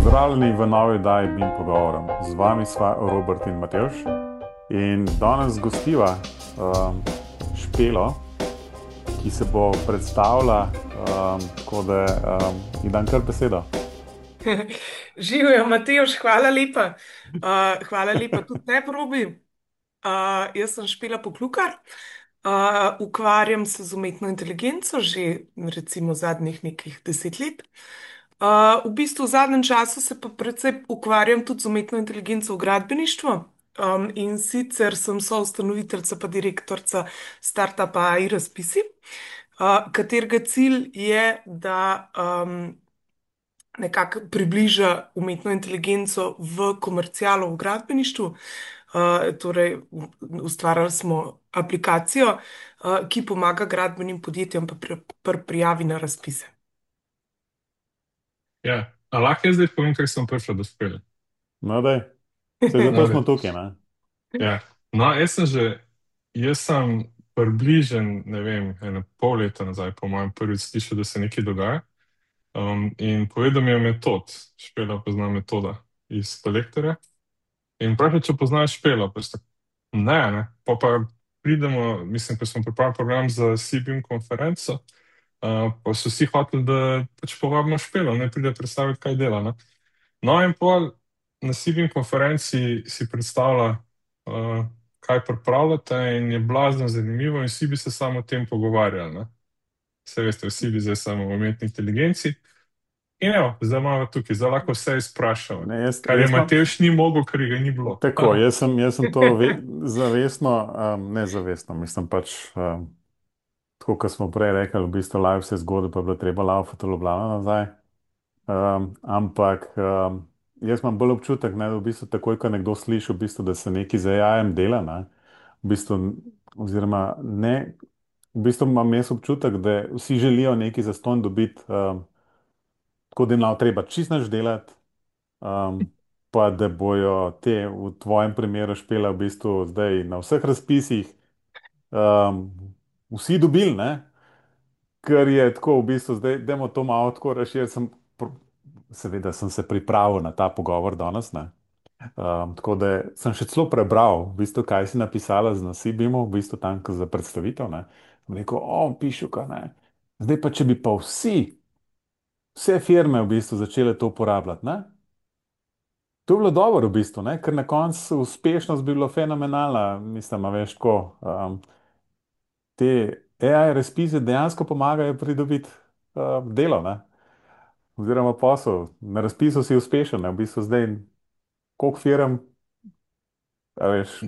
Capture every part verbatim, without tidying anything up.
Pozdravljeni v novi oddaji B I M Pogovorom. Z vami sva Robert in Matevž. In danes gostiva um, Špelo, ki se bo predstavila, um, tako da um, ji dam kar besedo. Živijo, Matejoš, hvala lepa. Uh, hvala lepa tudi tebi, Robi. Uh, jaz sem Špela Poklukar. Uh, ukvarjam se z umetno inteligenco že recimo zadnjih nekih deset let. Uh, v bistvu v zadnjem času se pa predvsej ukvarjam tudi z umetno inteligenco v gradbeništvu. Um, in sicer sem soustanoviteljica pa direktorica startupa A I Razpisi, uh, katerega cilj je, da um, nekako približa umetno inteligenco v komercialo v gradbeništvu. Uh, torej, u- ustvarjali smo aplikacijo, uh, ki pomaga gradbenim podjetjem pa pri, pri prijavi na razpise. Ja, a lahko jaz zdaj povem, kako sem prišel do spela. No, daj, se zato No, smo da- tukaj, ne? ja. No, jaz sem že, jaz sem približen, ne vem, eno pol leta nazaj, po mojem, prvič slišal, da se nekaj dogaja. Um, in povedal mi je metod, Špela pozna metoda iz kolektorja. In pravi, če poznaš Špela, pa sem tako, ne, ne. Pa pa pridemo, mislim, ko smo pripravili program za C B I M konferenco, uh, pa so vsi hoteli, da pač povabimo Špelo, ne pride predstaviti, kaj dela, ne. No, in pol na C B I M konferenci si predstavlja, uh, kaj pripravljate, in je blazno zanimivo, in vsi bi se samo o tem pogovarjali. Ne? Vse veste, vsi bi zdaj samo o umetni inteligenci. In evo, zdaj imamo tukaj, zdaj lahko vse izprašamo. Ne, jaz, Kar je jaz imam Matevž ni mogel, ker ga ni bilo. tako, jaz sem, jaz sem to ve, zavestno, um, ne zavestno, mislim pač, um, tako kot smo prej rekli, v bistvu live vse zgodbe, pa je bilo treba laufati v Ljubljano nazaj. Um, ampak um, jaz imam bolj občutek, ne, da v bistvu takoj, ko nekdo sliši, v bistvu, da se nekaj z A I-jem dela, ne, v bistvu, oziroma ne, v bistvu imam jaz občutek, da vsi želijo nekaj zastonj dobiti, um, tako da jim nav treba čist nič delati, um, pa da bojo te v tvojem primeru Špela v bistvu zdaj na vseh razpisih um, vsi dobili, ne? Ker je tako v bistvu, zdaj, dajmo to malo tako razširiti. Sem, pr- seveda sem se pripravil na ta pogovor danes, ne. Um, tako da sem še celo prebral, v bistvu, kaj si napisala z Nasibimu, v bistvu tam ko za predstavitev, ne. Sem rekel, o, pišuka, ne. Zdaj pa, če bi pa vsi, vse firme v bistvu začele to uporabljati, ne. To bi bilo dobro v bistvu, ne, ker na koncu uspešnost bi bila fenomenalna, mislim, a veš, tako. Um, te A I razpise dejansko pomagajo pridobiti uh, delo, ne? Oziroma posel. Na razpisu si uspešen, ne? V bistvu zdaj, koliko firm, a veš,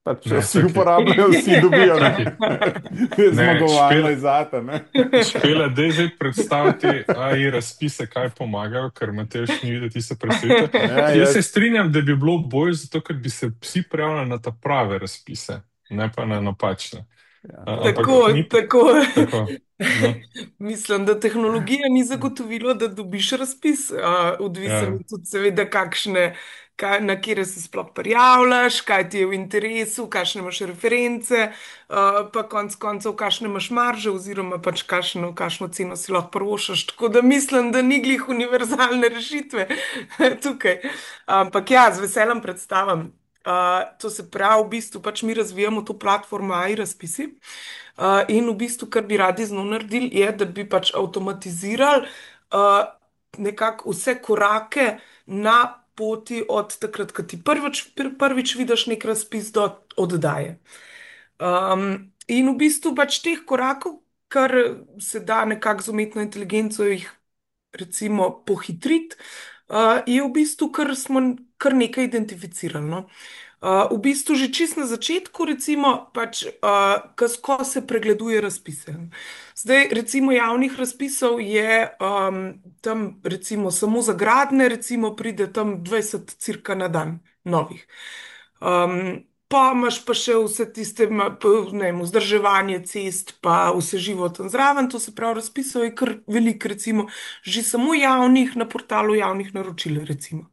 pač če Ne, vsi čakaj, uporabljajo, vsi dobijo, ne? čakaj. Je Ne, zmagovalno Špela, je zate, ne? Špela, daj zdaj predstaviti A I razpise, kaj pomagajo, ker Matevž ni videl tiste predstavitve. Ja, Jaz se jaz, strinjam, da bi bilo bolj zato, ker bi se vsi prijavljali na ta prave razpise, ne pa na napačne. ja, A- dobro. Ampak Tako, ni t- tako. tako. No, Mislim, da tehnologija ni zagotovilo, da dobiš razpis. Uh, odvisen ja. je tudi, seveda, kakšne, kaj, na kire se sploh prijavljaš, kaj ti je v interesu, kakšne imaš reference, uh, pa konc koncev, kakšne imaš marže, oziroma pač kakšno, kakšno ceno si lahko prvošaš. Tako da mislim, da ni glih univerzalne rešitve tukaj. Ampak ja, z veseljem predstavim. Uh, to se pravi, v bistvu pač mi razvijamo to platformo A I Razpisi. Uh, in v bistvu, kar bi radi z njo naredili, je, da bi pač avtomatizirali uh, nekako vse korake na poti od takrat, ko ti prvič, pr- prvič vidiš nek razpis do oddaje. Um, in v bistvu pač teh korakov, kar se da nekako z umetno inteligenco jih recimo pohitriti, uh, je v bistvu, kar smo kar nekaj identificirali. No. Uh, v bistvu že čist na začetku, recimo, pač, uh, kas, ko se pregleduje razpise. Zdaj, recimo, javnih razpisov je um, tam, recimo, samo za gradne, recimo, pride tam dvajset cirka na dan novih. Um, pa imaš pa še vse tiste, ma- p- ne vem, vzdrževanje cest, pa vse živo tam zraven, to se pravi, razpisov je kar veliko, recimo, že samo javnih na portalu javnih naročil, recimo.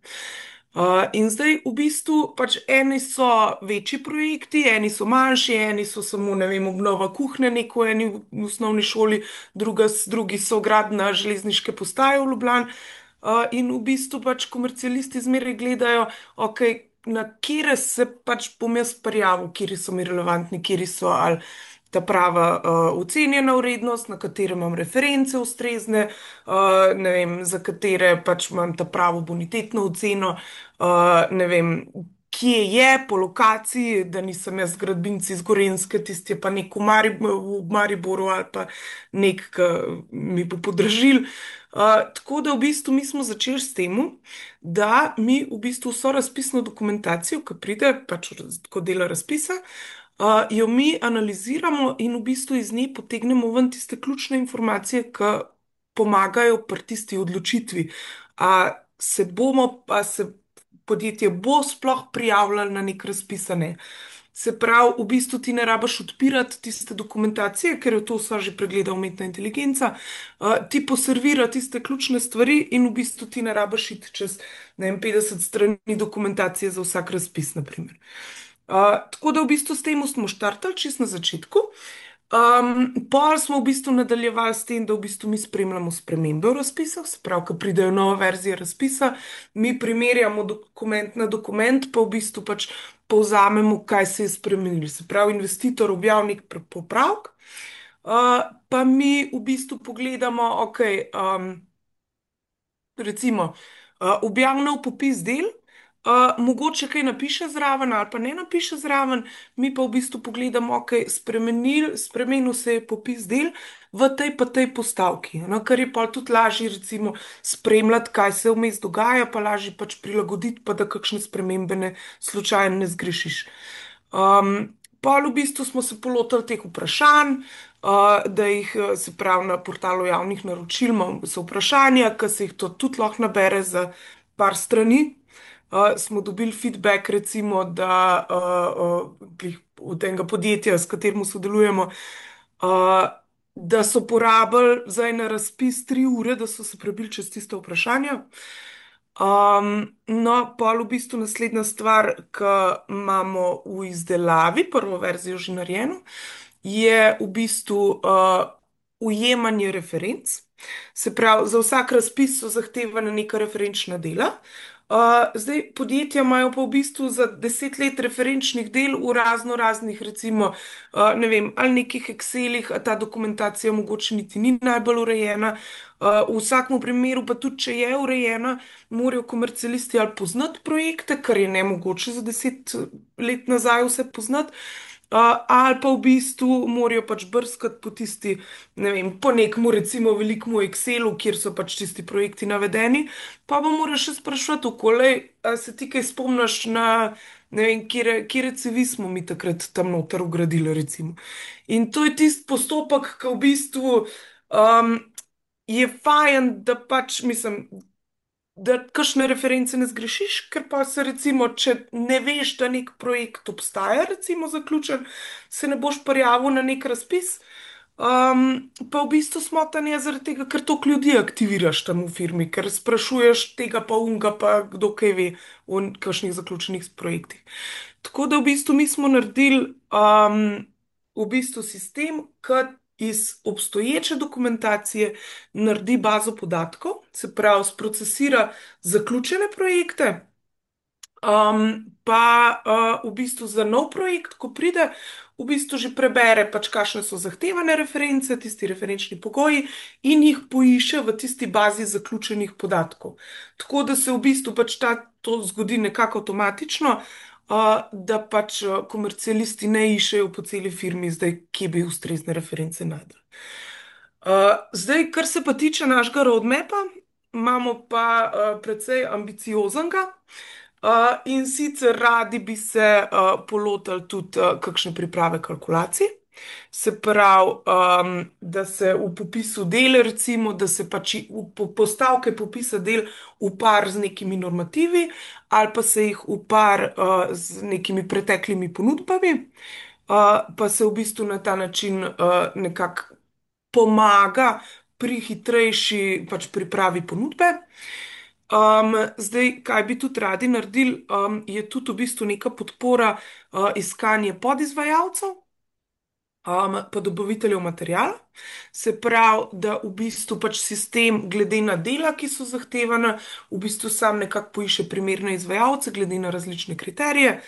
Uh, in zdaj v bistvu pač eni so večji projekti, eni so manjši, eni so samo, ne vem, obnova kuhne neko v eni v osnovni šoli, druga, s- drugi so gradna železniške postaje v Ljubljani. uh, in v bistvu pač komercialisti zmeraj gledajo, ok, na kire se pač bom jaz prijavil, kiri so mi relevantni, kiri so ali ta prava uh, ocenjena vrednost, na katere imam reference ustrezne, uh, ne vem, za katere pač imam ta pravo bonitetno oceno, uh, ne vem, kje je po lokaciji, da nisem jaz gradbinci iz Gorenjske, tisti je pa nek v Marib v Mariboru ali pa nek, ki mi bo podražil. Uh, tako da v bistvu mi smo začeli s tem, da mi v bistvu vso razpisno dokumentacijo, ki pride pač kot dela razpisa, uh, jo mi analiziramo in v bistvu iz nje potegnemo ven tiste ključne informacije, ki pomagajo pri tisti odločitvi. A se bomo, a se podjetje bo sploh prijavljalo na nek razpis, a ne. Se pravi, v bistvu ti ne rabiš odpirati tiste dokumentacije, ker je to vsa že pregleda umetna inteligenca, uh, ti poservira tiste ključne stvari in v bistvu ti ne rabiš iti čez, ne vem, petdeset strani dokumentacije za vsak razpis, naprimer. Uh, tako da v bistvu s tem smo štartali čist na začetku. Um, pol smo v bistvu nadaljevali s tem, da v bistvu mi spremljamo spremembe v razpisah, se pravi, ko pridejo nove verzije razpisa, mi primerjamo dokument na dokument, pa v bistvu pač povzamemo, kaj se je spremenilo. Se pravi, investitor objavi nek pre- popravek, uh, pa mi v bistvu pogledamo, ok, um, recimo, uh, objav nov popis del, uh, mogoče kaj napiše zraven ali pa ne napiše zraven, mi pa v bistvu pogledamo, ok, spremenil, spremenil se je popis del v tej pa tej postavki, no, kar je pa tudi lažje, recimo, spremljati, kaj se vmes dogaja, pa lažje pač prilagoditi, pa da kakšne spremembe ne slučajno ne zgrešiš. Um, Pol v bistvu smo se polotili teh vprašanj, uh, da jih, eh, se pravi, na portalu javnih naročil imamo so vprašanja, ki se jih to tudi lahko nabere za par strani. Uh, smo dobili feedback, recimo, da uh, uh, glih od enega podjetja, s katerim sodelujemo, uh, da so porabili za en razpis tri ure, da so se prebili čez tiste vprašanja. Um, no, pol v bistvu naslednja stvar, ki imamo v izdelavi, prvo verzijo že narejeno, je v bistvu uh, ujemanje referenc. Se pravi, za vsak razpis so zahtevana neka referenčna dela. Uh, zdaj, podjetja imajo pa v bistvu za deset let referenčnih del v razno raznih, recimo, uh, ne vem, ali nekih Excelih, a ta dokumentacija mogoče niti ni najbolj urejena. Uh, v vsakem primeru pa tudi, če je urejena, morajo komercialisti ali poznati projekte, kar je nemogoče za deset let nazaj vse poznati. Uh, ali pa v bistvu morajo pač brskati po tisti, ne vem, po nekem, recimo, velikem Excelu, kjer so pač tisti projekti navedeni, pa pa moraš še spraševati, okolej, a se ti kaj spomniš na, ne vem, kire, kire cevi smo mi takrat tam noter ugradili, recimo. In to je tisti postopek, ki v bistvu um, je fajn, da pač, mislim, da kakšne reference ne zgrešiš, ker pa se recimo, če ne veš, da nek projekt obstaja, recimo zaključen, se ne boš prijavil na nek razpis. Um, pa v bistvu smotan je zaradi tega, ker toliko ljudi aktiviraš tam v firmi, ker sprašuješ tega pa unga, pa kdo kaj ve o kakšnih zaključenih projektih. Tako da v bistvu mi smo naredili um, v bistvu sistem, ki iz obstoječe dokumentacije naredi bazo podatkov, se pravi, sprocesira zaključene projekte, um, pa uh, v bistvu za nov projekt, ko pride, v bistvu že prebere, pač kakšne so zahtevane reference, tisti referenčni pogoji in jih poišče v tisti bazi zaključenih podatkov. Tako da se v bistvu pač ta, to zgodi nekako avtomatično, uh, da pač uh, komercialisti ne iščejo po celi firmi, zdaj, kje bi ustrezne reference najdel. Uh, zdaj, kar se pa tiče našega roadmapa, imamo pa uh, precej ambicioznega. Uh, in sicer radi bi se uh, polotili tudi uh, kakšne priprave kalkulacij. Se pravi, um, da se v popisu del, recimo, da se pač i- v po- postavke popisa del upar z nekimi normativi, ali pa se jih upar uh, z nekimi preteklimi ponudbami, uh, pa se v bistvu na ta način uh, nekako pomaga pri hitrejši pač pripravi ponudbe. Um, zdaj, kaj bi tudi radi naredili, um, je tudi v bistvu neka podpora uh, iskanje podizvajalcev. um, pa dobaviteljev materijala. Se pravi, da v bistvu pač sistem, glede na dela, ki so zahtevana, v bistvu sam nekako poišče primerne izvajalce, glede na različne kriterije,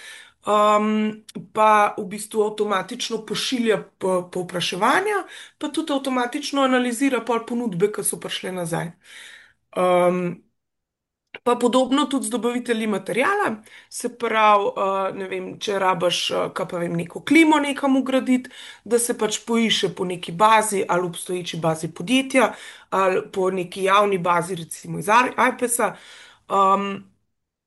um, pa v bistvu avtomatično pošilja po- povpraševanja, pa tudi avtomatično analizira pol ponudbe, ki so prišle nazaj. Um, Pa podobno tudi z dobavitelji materijala, se pravi, uh, ne vem, če rabaš, uh, kaj pa vem, neko klimo nekam ugraditi, da se pač poišče po neki bazi ali obstoječi bazi podjetja ali po neki javni bazi, recimo iz ajpesa, um,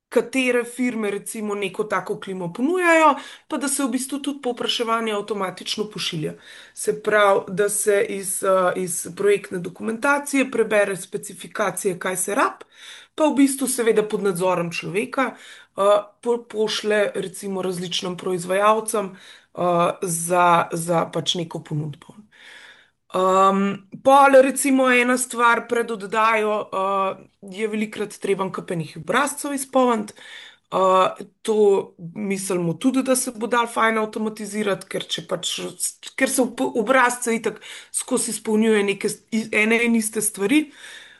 katere firme recimo neko tako klimo ponujajo, pa da se v bistvu tudi povpraševanje avtomatično pošilja. Se pravi, da se iz, uh, iz projektne dokumentacije prebere specifikacije, kaj se rab, pa v bistvu seveda pod nadzorom človeka uh, po, pošle recimo različnim proizvajalcem uh, za, za pač neko ponudbo. Um, pol, recimo, ena stvar pred oddajo uh, je velikrat treba kapenih obrazcev izpolniti. Uh, to mislimo tudi, da se bo dal fajn avtomatizirati, ker, če pač, ker se v obrazce itak skozi izpolnjuje neke s- ene in iste stvari.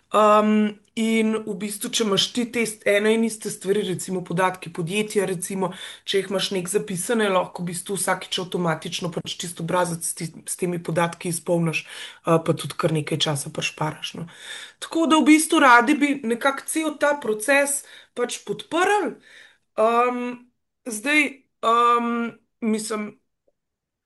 Um, in v bistvu, če imaš ti te st- ene in iste stvari, recimo podatki podjetja, recimo, če jih imaš nek zapisane, lahko v bistvu vsakič avtomatično pač čisto obrazec s, ti, s temi podatki izpolniš, uh, pa tudi kar nekaj časa prešparaš. No. Tako da v bistvu radi bi nekako cel ta proces pač podprli. Um, zdaj, um, mislim.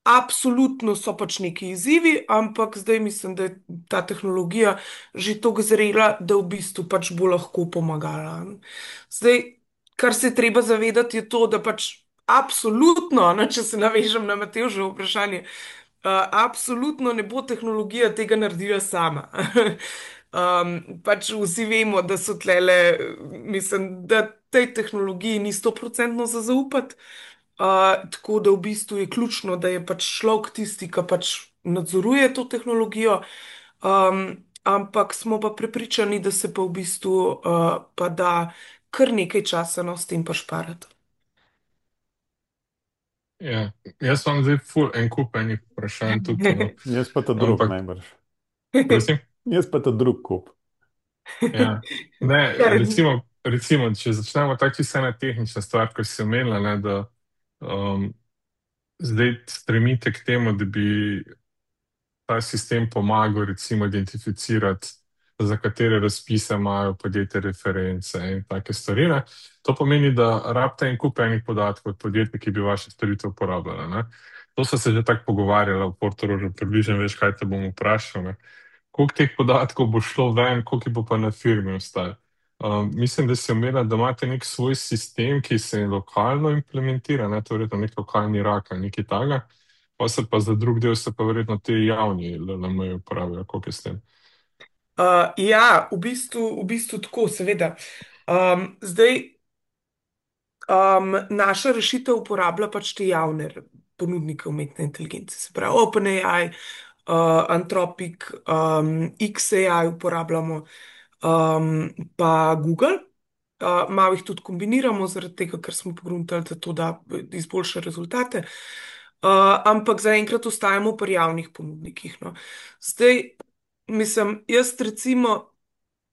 Absolutno so pač neki izzivi, ampak zdaj mislim, da je ta tehnologija že tako zrela, da v bistvu pač bo lahko pomagala. Zdaj, kar se je treba zavedati, je to, da pač absolutno, ne, če se navežem na Matevževo vprašanje, uh, absolutno ne bo tehnologija tega naredila sama. Um, pač vsi vemo, da so tlele, mislim, da tej tehnologiji ni stoprocentno za zaupati. Uh, tako da v bistvu je ključno, da je pač človek tisti, ki pač nadzoruje to tehnologijo, um, ampak smo pa prepričani, da se pa v bistvu uh, pa da kar nekaj časa no, s tem pa šparati. Ja. Jaz vam zdaj ful en kup enih vprašanj tukaj, no. Jaz pa ta drug Ampak, najbrž. prosim? Jaz pa ta drug kup. Ja. Ne, Kar, recimo, recimo, če začnemo tako čisto ena tehnična stvar, ko si omenila, ne, da um, zdaj stremite k temu, da bi ta sistem pomagal recimo identificirati, za katere razpise imajo podjetje reference in take stvari. Ne. To pomeni, da rabite en kup enih podatkov od podjetij, ki bi vaše storitve uporabljala. Ne. To so se že tako pogovarjala v Portorožu, približno veš, kaj te bom vprašal. Ne. Koliko teh podatkov bo šlo ven, koliko jih bo pa na firmi ostalo. Um, mislim, da si omenila, da imate nek svoj sistem, ki se lokalno implementira, ne, to je verjetno nek lokalni rak ali nekaj takega. Pa se pa za drug del se pa verjetno te javni L L M uporabljajo, koliko je s tem. uh, ja, v bistvu, v bistvu tako, seveda. Um, zdaj, Um, naša rešitev uporablja pač te javne r- ponudnike umetne inteligence, se pravi OpenAI, uh, Anthropic, um, X A I uporabljamo, um, pa Google. Uh, malo jih tudi kombiniramo, zaradi tega, ker smo pogruntali, da to da izboljša rezultate. Uh, ampak zaenkrat ostajamo pri javnih ponudnikih. No. Zdaj, mislim, jaz recimo.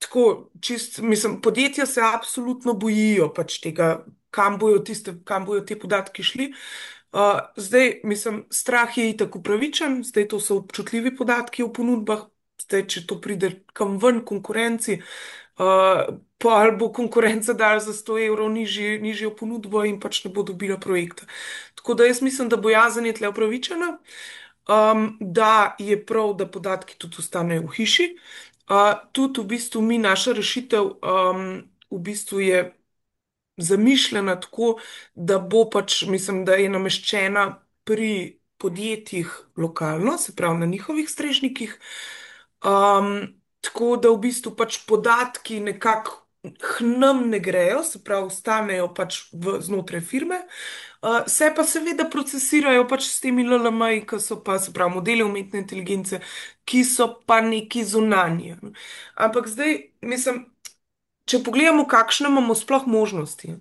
Tako, čist, mislim, podjetja se absolutno bojijo pač tega, kam bojo tiste, kam bojo te podatki šli. Uh, zdaj, mislim, strah je itak upravičen, zdaj to so občutljivi podatki o ponudbah, zdaj, če to pride kam ven konkurenci, uh, pa ali bo konkurenca dala za sto evrov nižji, nižjo ponudbo in pač ne bo dobila projekta. Tako da jaz mislim, da bojazen je tle upravičena, um, da je prav, da podatki tudi ostanejo v hiši. Uh, tudi v bistvu mi, naša rešitev, um, v bistvu je zamišljena tako, da bo pač, mislim, da je nameščena pri podjetjih lokalno, se pravi na njihovih strežnikih. Um, tako da v bistvu pač podatki nekako k nam ne grejo, se pravi, ostanejo pač v, znotraj firme. Uh, se pa seveda procesirajo pač s temi L L M-ji, ki so pa, se pravi, modeli umetne inteligence, ki so pa neki zunanji. Ampak zdaj, mislim, če pogledamo, kakšne imamo sploh možnosti.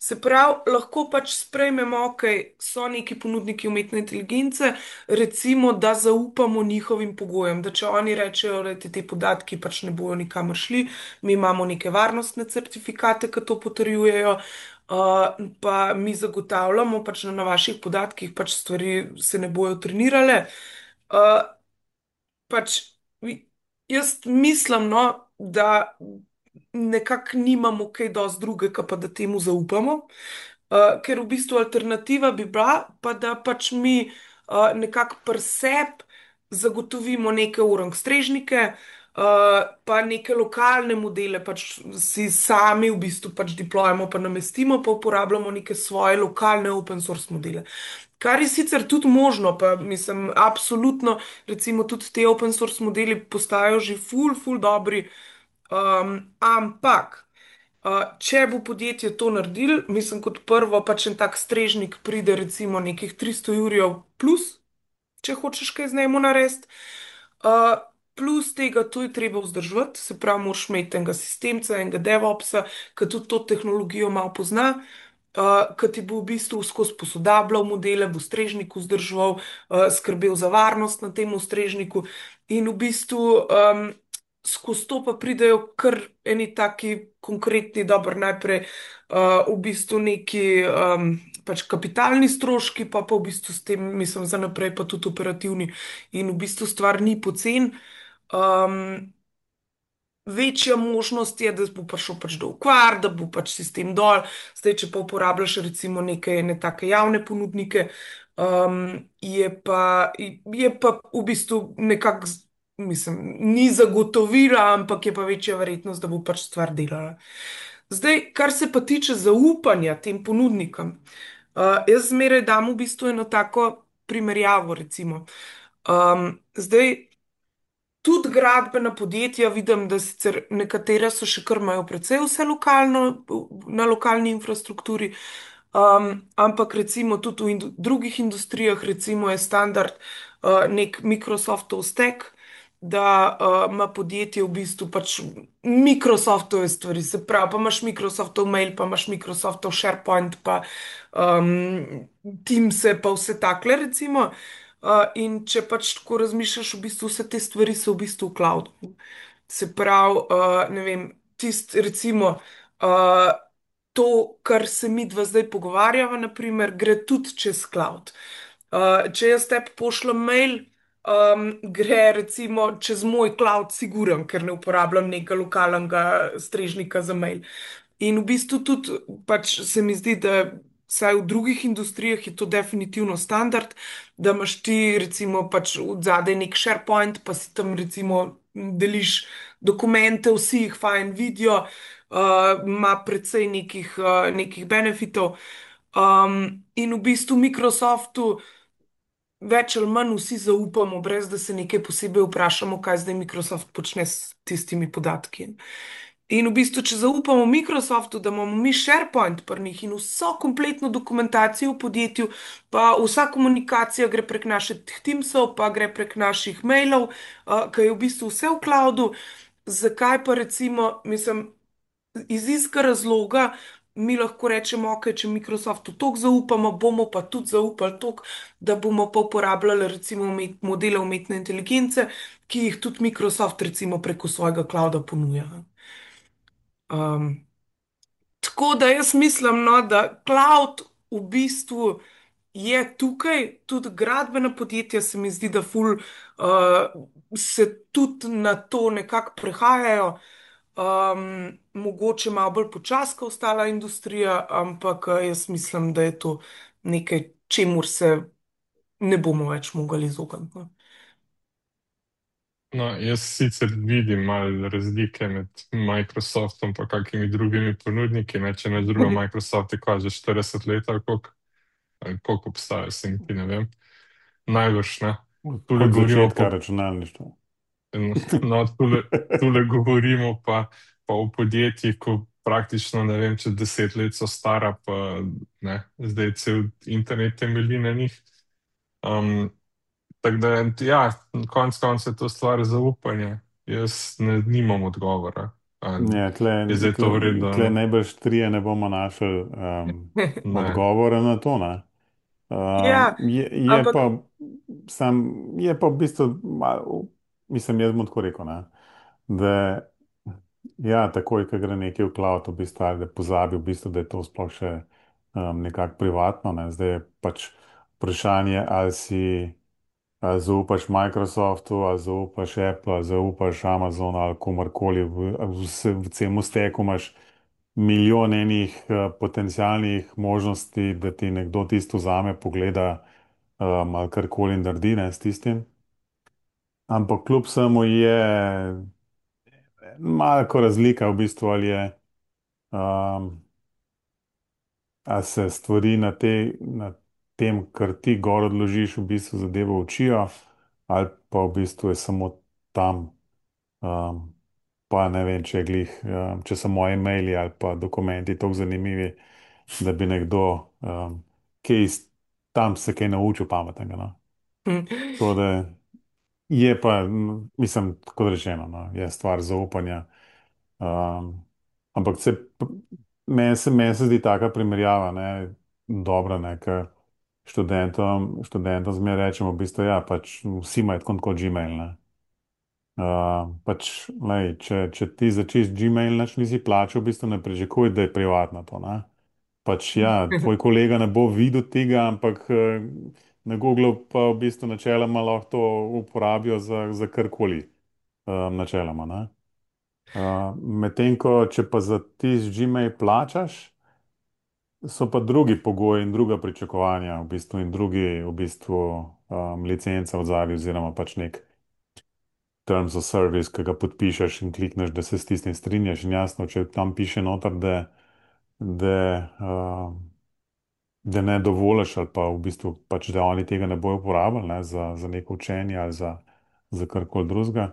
Se pravi, lahko pač sprejmemo, ok, so neki ponudniki umetne inteligence, recimo, da zaupamo njihovim pogojem, da če oni rečejo, da ti te podatki pač ne bojo nikamor šli, mi imamo neke varnostne certifikate, ki to potrjujejo. Uh, pa mi zagotavljamo, pač da na vaših podatkih pač stvari se ne bojo trenirale. Uh, pač vi- Jaz mislim, no, da nekako nimamo kaj dosti drugega, pa da temu zaupamo. Uh, ker v bistvu alternativa bi bila, pa da pač mi uh, nekako pri sebi zagotovimo neke orangstrežnike, uh, pa neke lokalne modele, pač si sami v bistvu pač deployamo, pa namestimo, pa uporabljamo neke svoje lokalne open source modele. Kar je sicer tudi možno, pa mislim, absolutno, recimo tudi te open source modeli postajajo že ful, ful dobri, um, ampak. Uh, če bo podjetje to naredilo, mislim, kot prvo, pač en tak strežnik pride recimo nekih tristo jurjev plus, če hočeš kaj z njim narediti. Uh, plus tega, to je treba vzdrževati, se pravi, moraš imeti enega sistemca, enega DevOpsa, ki tudi to tehnologijo malo pozna, uh, ki ti bo v bistvu skozi posodabljal modele, bo strežnik vzdrževal, uh, skrbel za varnost na tem strežniku in v bistvu. Um, Skozi to pa pridejo kar eni taki konkretni, dobro, najprej uh, v bistvu neki um, pač kapitalni stroški, pa pa v bistvu s tem, mislim, za naprej pa tudi operativni. In v bistvu stvar ni pocen. Um, Večja možnost je, da bo prišel pač do okvar, da bo pač sistem dol. Zdaj, če pa uporabljaš recimo neke ne take javne ponudnike, um, je pa, je pa v bistvu nekako, z- mislim, ni zagotovila, ampak je pa večja verjetnost, da bo pač stvar delala. Zdaj, kar se pa tiče zaupanja tem ponudnikom, uh, jaz zmeraj dam v bistvu eno tako primerjavo, recimo. Um, zdaj, tudi gradbena podjetja, vidim, da sicer nekatera so še kar imajo precej vse lokalno, na lokalni infrastrukturi, um, ampak recimo tudi v indu drugih industrijah, recimo je standard uh, nek Microsoftov stack, da uh, ima podjetje v bistvu pač Microsoftove stvari, se pravi, pa imaš Microsoftov mail, pa imaš Microsoftov SharePoint, pa um, Teams, pa vse takle, recimo. Uh, in če pač tako razmišljaš, v bistvu vse te stvari so v bistvu v cloudu. Se pravi, uh, ne vem, tist, recimo, uh, to, kar se mi dva zdaj pogovarjava, naprimer, gre tudi čez cloud. Uh, če jaz tebi pošljem mail, um, gre recimo čez moj cloud, siguren, ker ne uporabljam nekega lokalnega strežnika za mail. In v bistvu tudi pač se mi zdi, da vsaj v drugih industrijah je to definitivno standard, da imaš ti recimo pač od zadaj nek SharePoint, pa si tam recimo deliš dokumente, vsi jih fajn vidijo, uh, ima precej nekih, uh, nekih benefitov. Um, in v bistvu Microsoftu več ali manj vsi zaupamo, brez da se nekaj posebej vprašamo, kaj zdaj Microsoft počne s tistimi podatki. In v bistvu, če zaupamo Microsoftu, da imamo mi SharePoint pri njih in vso kompletno dokumentacijo v podjetju, pa vsa komunikacija gre prek naših Teamsov, pa gre prek naših mailov, uh, ki je v bistvu vse v cloudu, zakaj pa recimo, mislim, iz istega razloga mi lahko rečemo, ok, če Microsoftu toliko zaupamo, bomo pa tudi zaupali toliko, da bomo pa uporabljali recimo umet, modele umetne inteligence, ki jih tudi Microsoft recimo preko svojega clouda ponuja. Um, Tako da jaz mislim, no, da cloud v bistvu je tukaj, tudi gradbena podjetja se mi zdi, da ful uh, se tudi na to nekako prehajajo. Um, mogoče malo bolj počasi kot ostala industrija, ampak uh, jaz mislim, da je to nekaj, čemur se ne bomo več mogli izogniti. No. No, jaz sicer vidim malo razlike med Microsoftom in kakimi drugimi ponudniki. Ne, če ne druga, Microsoft je kva že štirideset let, ali koliko, ali koliko obstaja, se niti ne vem. Najbrž ne. Tule Od govorimo začetka pa, računalništva. no, tule, tule govorimo pa, pa o podjetjih, ko praktično ne vem, če deset let so stara, pa ne, zdaj cel internet temelji na njih. Um, Tako da, ja, konec koncev je to stvar zaupanja. Jaz ne, nimam odgovora. Ali Ja, tle, je zdaj to tle, tle vredno? najbrž trije ne bomo našli um, Ne. odgovora na to. Ne? Um, Ja, je, je ampak pa, sam, je pa v bistvu, malo, mislim, jaz bom tako rekel, ne? Da ja, takoj, ko gre nekaj v cloud, v bistvu, ali da pozabi, v bistvu, da je to sploh še um, nekako privatno. Ne? Zdaj je pač vprašanje, ali si. Ali zaupaš Microsoftu, ali zaupaš Apple, ali zaupaš Amazonu, ali komorkoli, v, v, v celem steku imaš milijon enih uh, potencijalnih možnosti, da ti nekdo tisto vzame, pogleda um, ali karkoli naredi ne, s tistim. Ampak kljub vsemu je malko razlika v bistvu, ali je. Um, A se stvari na, te, na tem, kar ti gor odložiš, v bistvu zadevo učijo, ali pa v bistvu je samo tam, um, pa ne vem, če je glih, um, če so moji maili ali pa dokumenti tako zanimivi, da bi nekdo, um, kaj iz, tam se kaj naučil pametnega. No? Tako da je pa, m, mislim, kot rečeno, no, je stvar zaupanja. Um, ampak se, p- meni se, meni se zdi taka primerjava, ne, dobra, ne, ker študentom, študentom zmeraj rečemo, v bistvu, ja, pač vsi imajo tako kot Gmail, ne. Uh, pač, lej, če, če ti začneš Gmail, nač nisi plačal, v bistvu ne pričakuj, da je privatno to, ne. Pač, ja, tvoj kolega ne bo videl tega, ampak eh, na Googlu pa v bistvu načeloma lahko to uporabijo za, za karkoli, uh, načeloma, ne. Uh, medtem ko, če pa za tisti Gmail plačaš, so pa drugi pogoji in druga pričakovanja, v bistvu, in drugi, v bistvu, um, licenca v zadnji, oziroma pač nek terms of service, ki ga podpišeš in klikneš, da se s tistim strinjaš. In jasno, če tam piše noter, da, da, uh, da ne dovoliš, ali pa v bistvu pač, da oni tega ne bojo uporabljali ne, za, za neko učenje ali za, za karkoli drugega.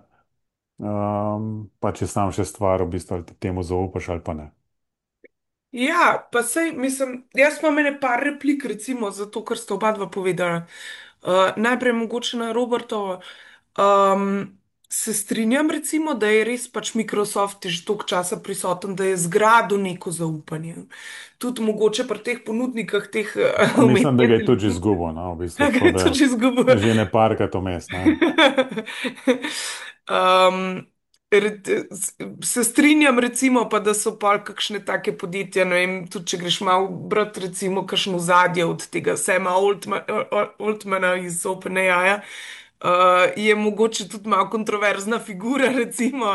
Um, pač je sam še stvar, v bistvu, ali ti temu zaupaš ali pa ne. ja, pa sej, mislim, jaz imam ene par replik, recimo, zato, ker sta oba dva povedala. Uh, najprej mogoče na Robertovo. Um, se strinjam, recimo, da je res pač Microsoft že toliko časa prisoten, da je zgradil neko zaupanje. Tudi mogoče pri teh ponudnikih teh uh, Pa mislim, da umetne ga je tudi že inteligence. izgubil, no, v bistvu, Da tako je to da že izgubil. že ne parkrat vmes, ne. um, re- s- Se strinjam, recimo, pa da so pa kakšne take podjetja, ne vem, tudi če greš malo brat, recimo, kakšno zadje od tega Sama Altma- Altmana iz OpenAI. Uh, je mogoče tudi malo kontroverzna figura, recimo.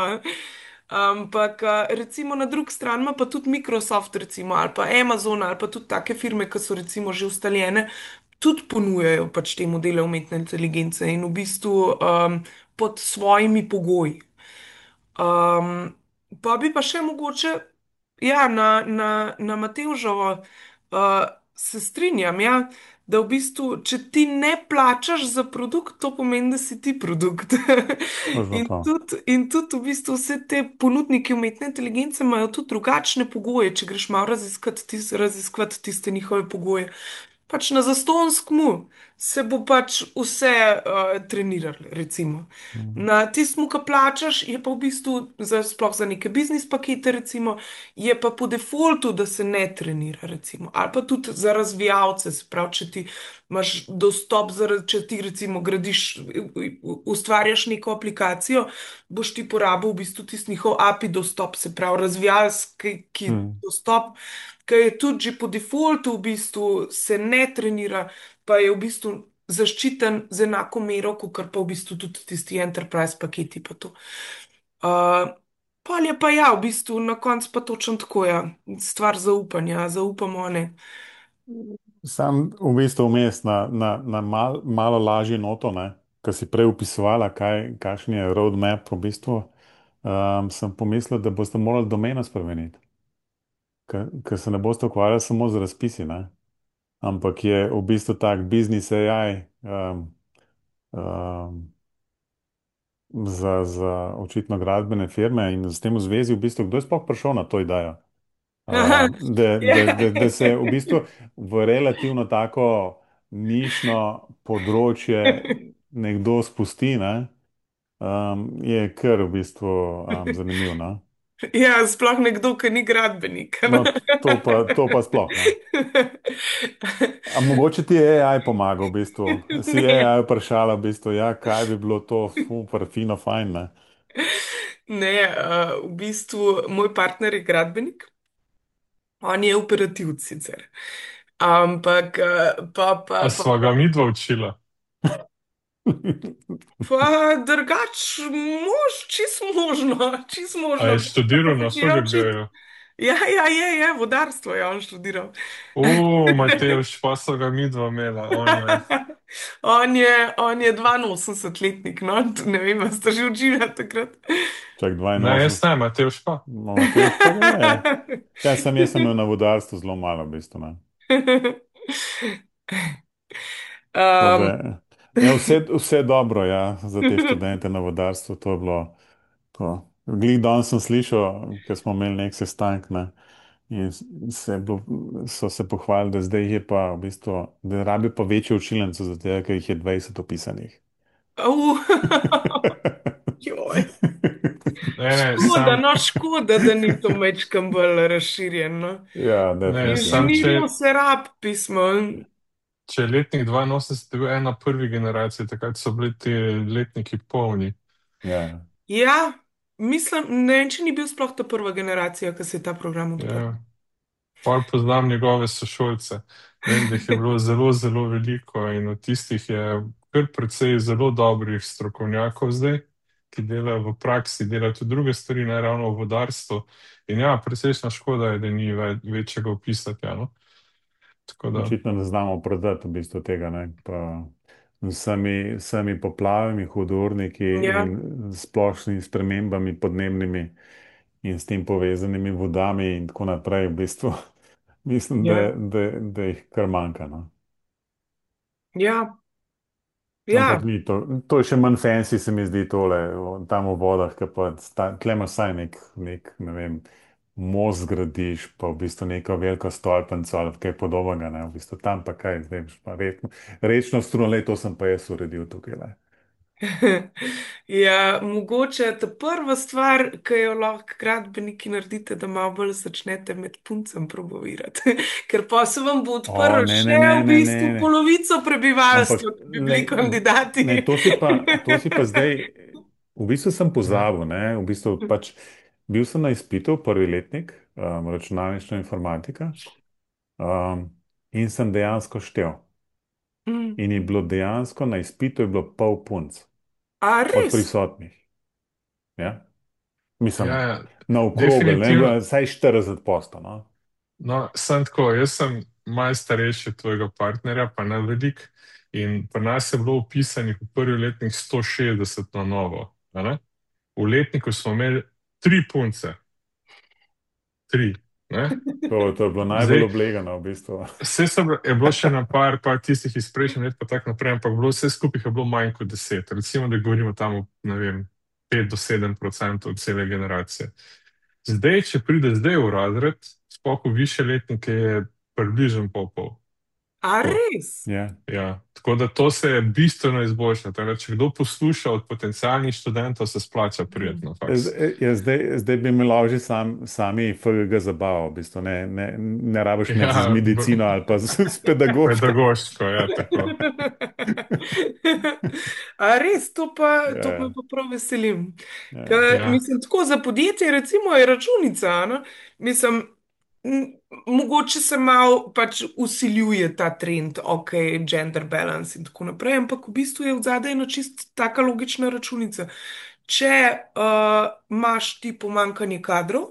Ampak, uh, recimo, na drugi strani ima pa tudi Microsoft, recimo, ali pa Amazon, ali pa tudi take firme, ki so recimo že ustaljene, tudi ponujajo pač te modele umetne inteligence in v bistvu um, pod svojimi pogoji. Um, Pa bi pa še mogoče, ja, na, na, na Matevževo, uh, se strinjam, ja, da v bistvu, če ti ne plačaš za produkt, to pomeni, da si ti produkt. Točno In to. tudi, in tudi v bistvu vse te ponudnike umetne inteligence imajo tudi drugačne pogoje, če greš malo raziskati, tis, raziskati tiste njihove pogoje. Pač na zastonskmu se bo pač vse uh, treniralo, recimo. Mm. Na tistem, ki plačaš, je pa v bistvu, za, sploh za neke biznis pakete, recimo, je pa po defaultu, da se ne trenira, recimo. Ali pa tudi za razvijalce, se pravi, če ti imaš dostop, za, če ti recimo gradiš, u- ustvarjaš neko aplikacijo, boš ti porabil v bistvu tisti njihov A P I dostop, se pravi, razvijalski ki Mm. dostop, ki je tudi že po defaultu v bistvu se ne trenira, pa je v bistvu zaščiten z enako mero, kot pa v bistvu tudi tisti enterprise paketi. Pa to. Uh, Pol je pa ja, v bistvu na koncu pa točno tako je, ja. Stvar zaupanja, zaupamo ne. Sam v bistvu vmes na, na, na mal, malo lažje noto, ne, kar si prej upisovala, kaj, kakšen je roadmap v bistvu, um, sem pomislil, da boste morali domeno spremeniti, ker, ker se ne boste ukvarjali samo z razpisi, ne, ampak je v bistvu tak biznis A I um, um, za, za očitno gradbene firme in s tem v zvezi v bistvu, kdo je sploh prišel na to idejo? Uh, da, Ja. da, da, da se v bistvu v relativno tako nišno področje nekdo spusti, ne, um, je kar v bistvu um, zanimivo. No? Ja, sploh nekdo, ki ni gradbenik. No, to pa, to pa sploh ne. A mogoče ti je A I pomagal, v bistvu. Si Ne, A I vprašala, v bistvu, ja, kaj bi bilo to, super, fino, fajn, ne? ne, uh, v bistvu moj partner je gradbenik, on je operativc sicer. Ampak uh, pa, A pa, pa, sva pa, ga midva učila? pa drugač, mož, čist možno, čist A možno. je Kdaj pa študiral na začela učiti? F G G-ju? Ja, ja, je, je, vodarstvo je on študiral. O, Matevž, pa so ga midva imela, ojoj. On je, on je dvainosemdesetletnik, no, ne vem, a ste že učili takrat. Čak Ne, jaz dvainosemdeset, ne, Matevž pa. no, Matevž pa ga je. Ja, sem jaz sem imel na vodarstvu zelo malo, v bistvu, ne. Tako da, Um, ja, vse, vse dobro, ja, za te študente na vodarstvu, to je bilo to. Glih danes sem slišal, ker smo imeli nek sestanek, ne, in se je bilo, so se pohvalili, da zdaj jih je pa v bistvu, da rabi pa večjo učilnico, zato ker jih je dvajset opisanih. au, joj. Ne, ne, Škoda, sam, no, škoda, da ni to mečkam bolj razširjeno. Ja, ne, sam, definitivno. če, Inženirjev se rab pismo. če je letnik dvainosemdeset je bil ena prvi generacij, takrat so bili ti letniki polni. Ja. Ja, mislim, ne vem, če ni bil sploh ta prva generacija, ki se je ta program odprl. Ja. Pol poznam njegove sošolce. Vem, da jih je bilo zelo, zelo veliko in od tistih je kar precej zelo dobrih strokovnjakov zdaj, ki delajo v praksi, delajo tudi druge stvari, ne ravno v vodarstvu. In ja, precejšna škoda je, da ni ve večjega opisati. Ja, no? Tako da, Očitno ne znamo prodati v bistvu tega, ne, pa z vsemi, vsemi poplavami, hudourniki Ja, in splošnimi spremembami podnebnimi in s tem povezanimi vodami in tako naprej, v bistvu mislim, da, ja, da, da jih kar manjka, no. ja, Ampak ja. ni to, to je še manj fancy, se mi zdi tole, o- tam v vodah, ki pa sta, tle imaš vsaj nek, nek, ne vem, most zgradiš, pa v bistvu neko veliko stolpnico ali kaj podobnega, ne, v bistvu tam pa kaj, zdaj pa rečno, rečno struno, le to sem pa jaz uredil tukaj, le. Ja, mogoče ta prva stvar, ki jo lahko gradbeniki naredite, da malo bolj začnete med puncem promovirati. Ker pa se vam bo O, odprl ne, še ne, ne, v ne, ne, bistvu ne. polovico Ampak, prebivalstva, ki bi ne, bili kandidati. ne, to si pa, to si pa zdaj, v bistvu sem ja, pozabil, ne, v bistvu pač, bil sem na izpitu, prvi letnik, um, računalništva informatika. Um, in sem dejansko štel. Mm. In je bilo dejansko na izpitu je bilo pol punc A od res? prisotnih. Ja? ja, Mislim, ja, na okrogel, ne, definitivno. bilo je vsaj štirideset posto. No? No, sem tako, jaz sem malo starejši od tvojega partnerja, pa ne velik. In pri nas je bilo upisanih v prvi letnik sto šestdeset na novo. A ne? V letniku smo imeli tri punce, tri. Ne? To, to je bilo najbolj Zdaj, oblegano v bistvu. vse so, bile- je bilo še na par, par tistih iz prejšnjih let, pa tako naprej, ampak bilo, vse skupaj je bilo manj kot deset. Recimo, da govorimo tam o, ne vem, pet do sedem odstotkov cele generacije. Zdaj, če pride zdaj v razred, sploh v više letnike, je približno pol pol. A Tako. res? Ja. Ja, tako da to se je bistveno izboljšalo. Tako da če kdo posluša od potencijalnih študentov, se splača Mm. prijeti na faks. Zdaj, ja, zdaj, zdaj bi imeli lažje sam, sami F G G zabavo, v bistvu ne, ne, ne rabiš imeti z Ja, b- medicino ali pa z, z pedagoško. pedagoško, ja, tako. A res, to pa, to me Ja, pa prav veselim. ja. Ker, Ja, mislim, tako za podjetje, recimo, je računica. No? Mislim, m, mogoče se malo pač usiljuje ta trend, ok, gender balance in tako naprej, ampak v bistvu je v zadaj ena čist taka logična računica. Če uh, imaš ti pomankanje kadrov,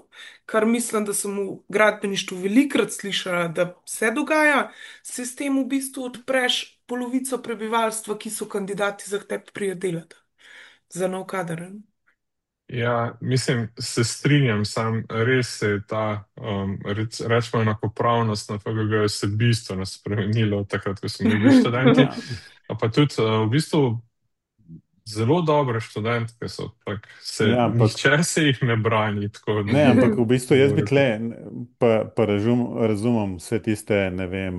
kar mislim, da sem v gradbeništvu velikokrat slišala, da se dogaja, se s tem v bistvu odpreš polovico prebivalstva, ki so kandidati za te pridelati, za nov kader. Ne? ja, mislim, se strinjam, sam res se je ta, um, rec, rečemo, enakopravnost na F G G se bistveno spremenila od takrat, ko smo mi bili študenti. Ja. A pa tudi uh, v bistvu zelo dobre študentke so, tak, se, Ja, ampak nihče se jih ne brani, tako da ne, ampak v bistvu jaz bi tle, govorite. pa, pa razum, razumem vse tiste, ne vem,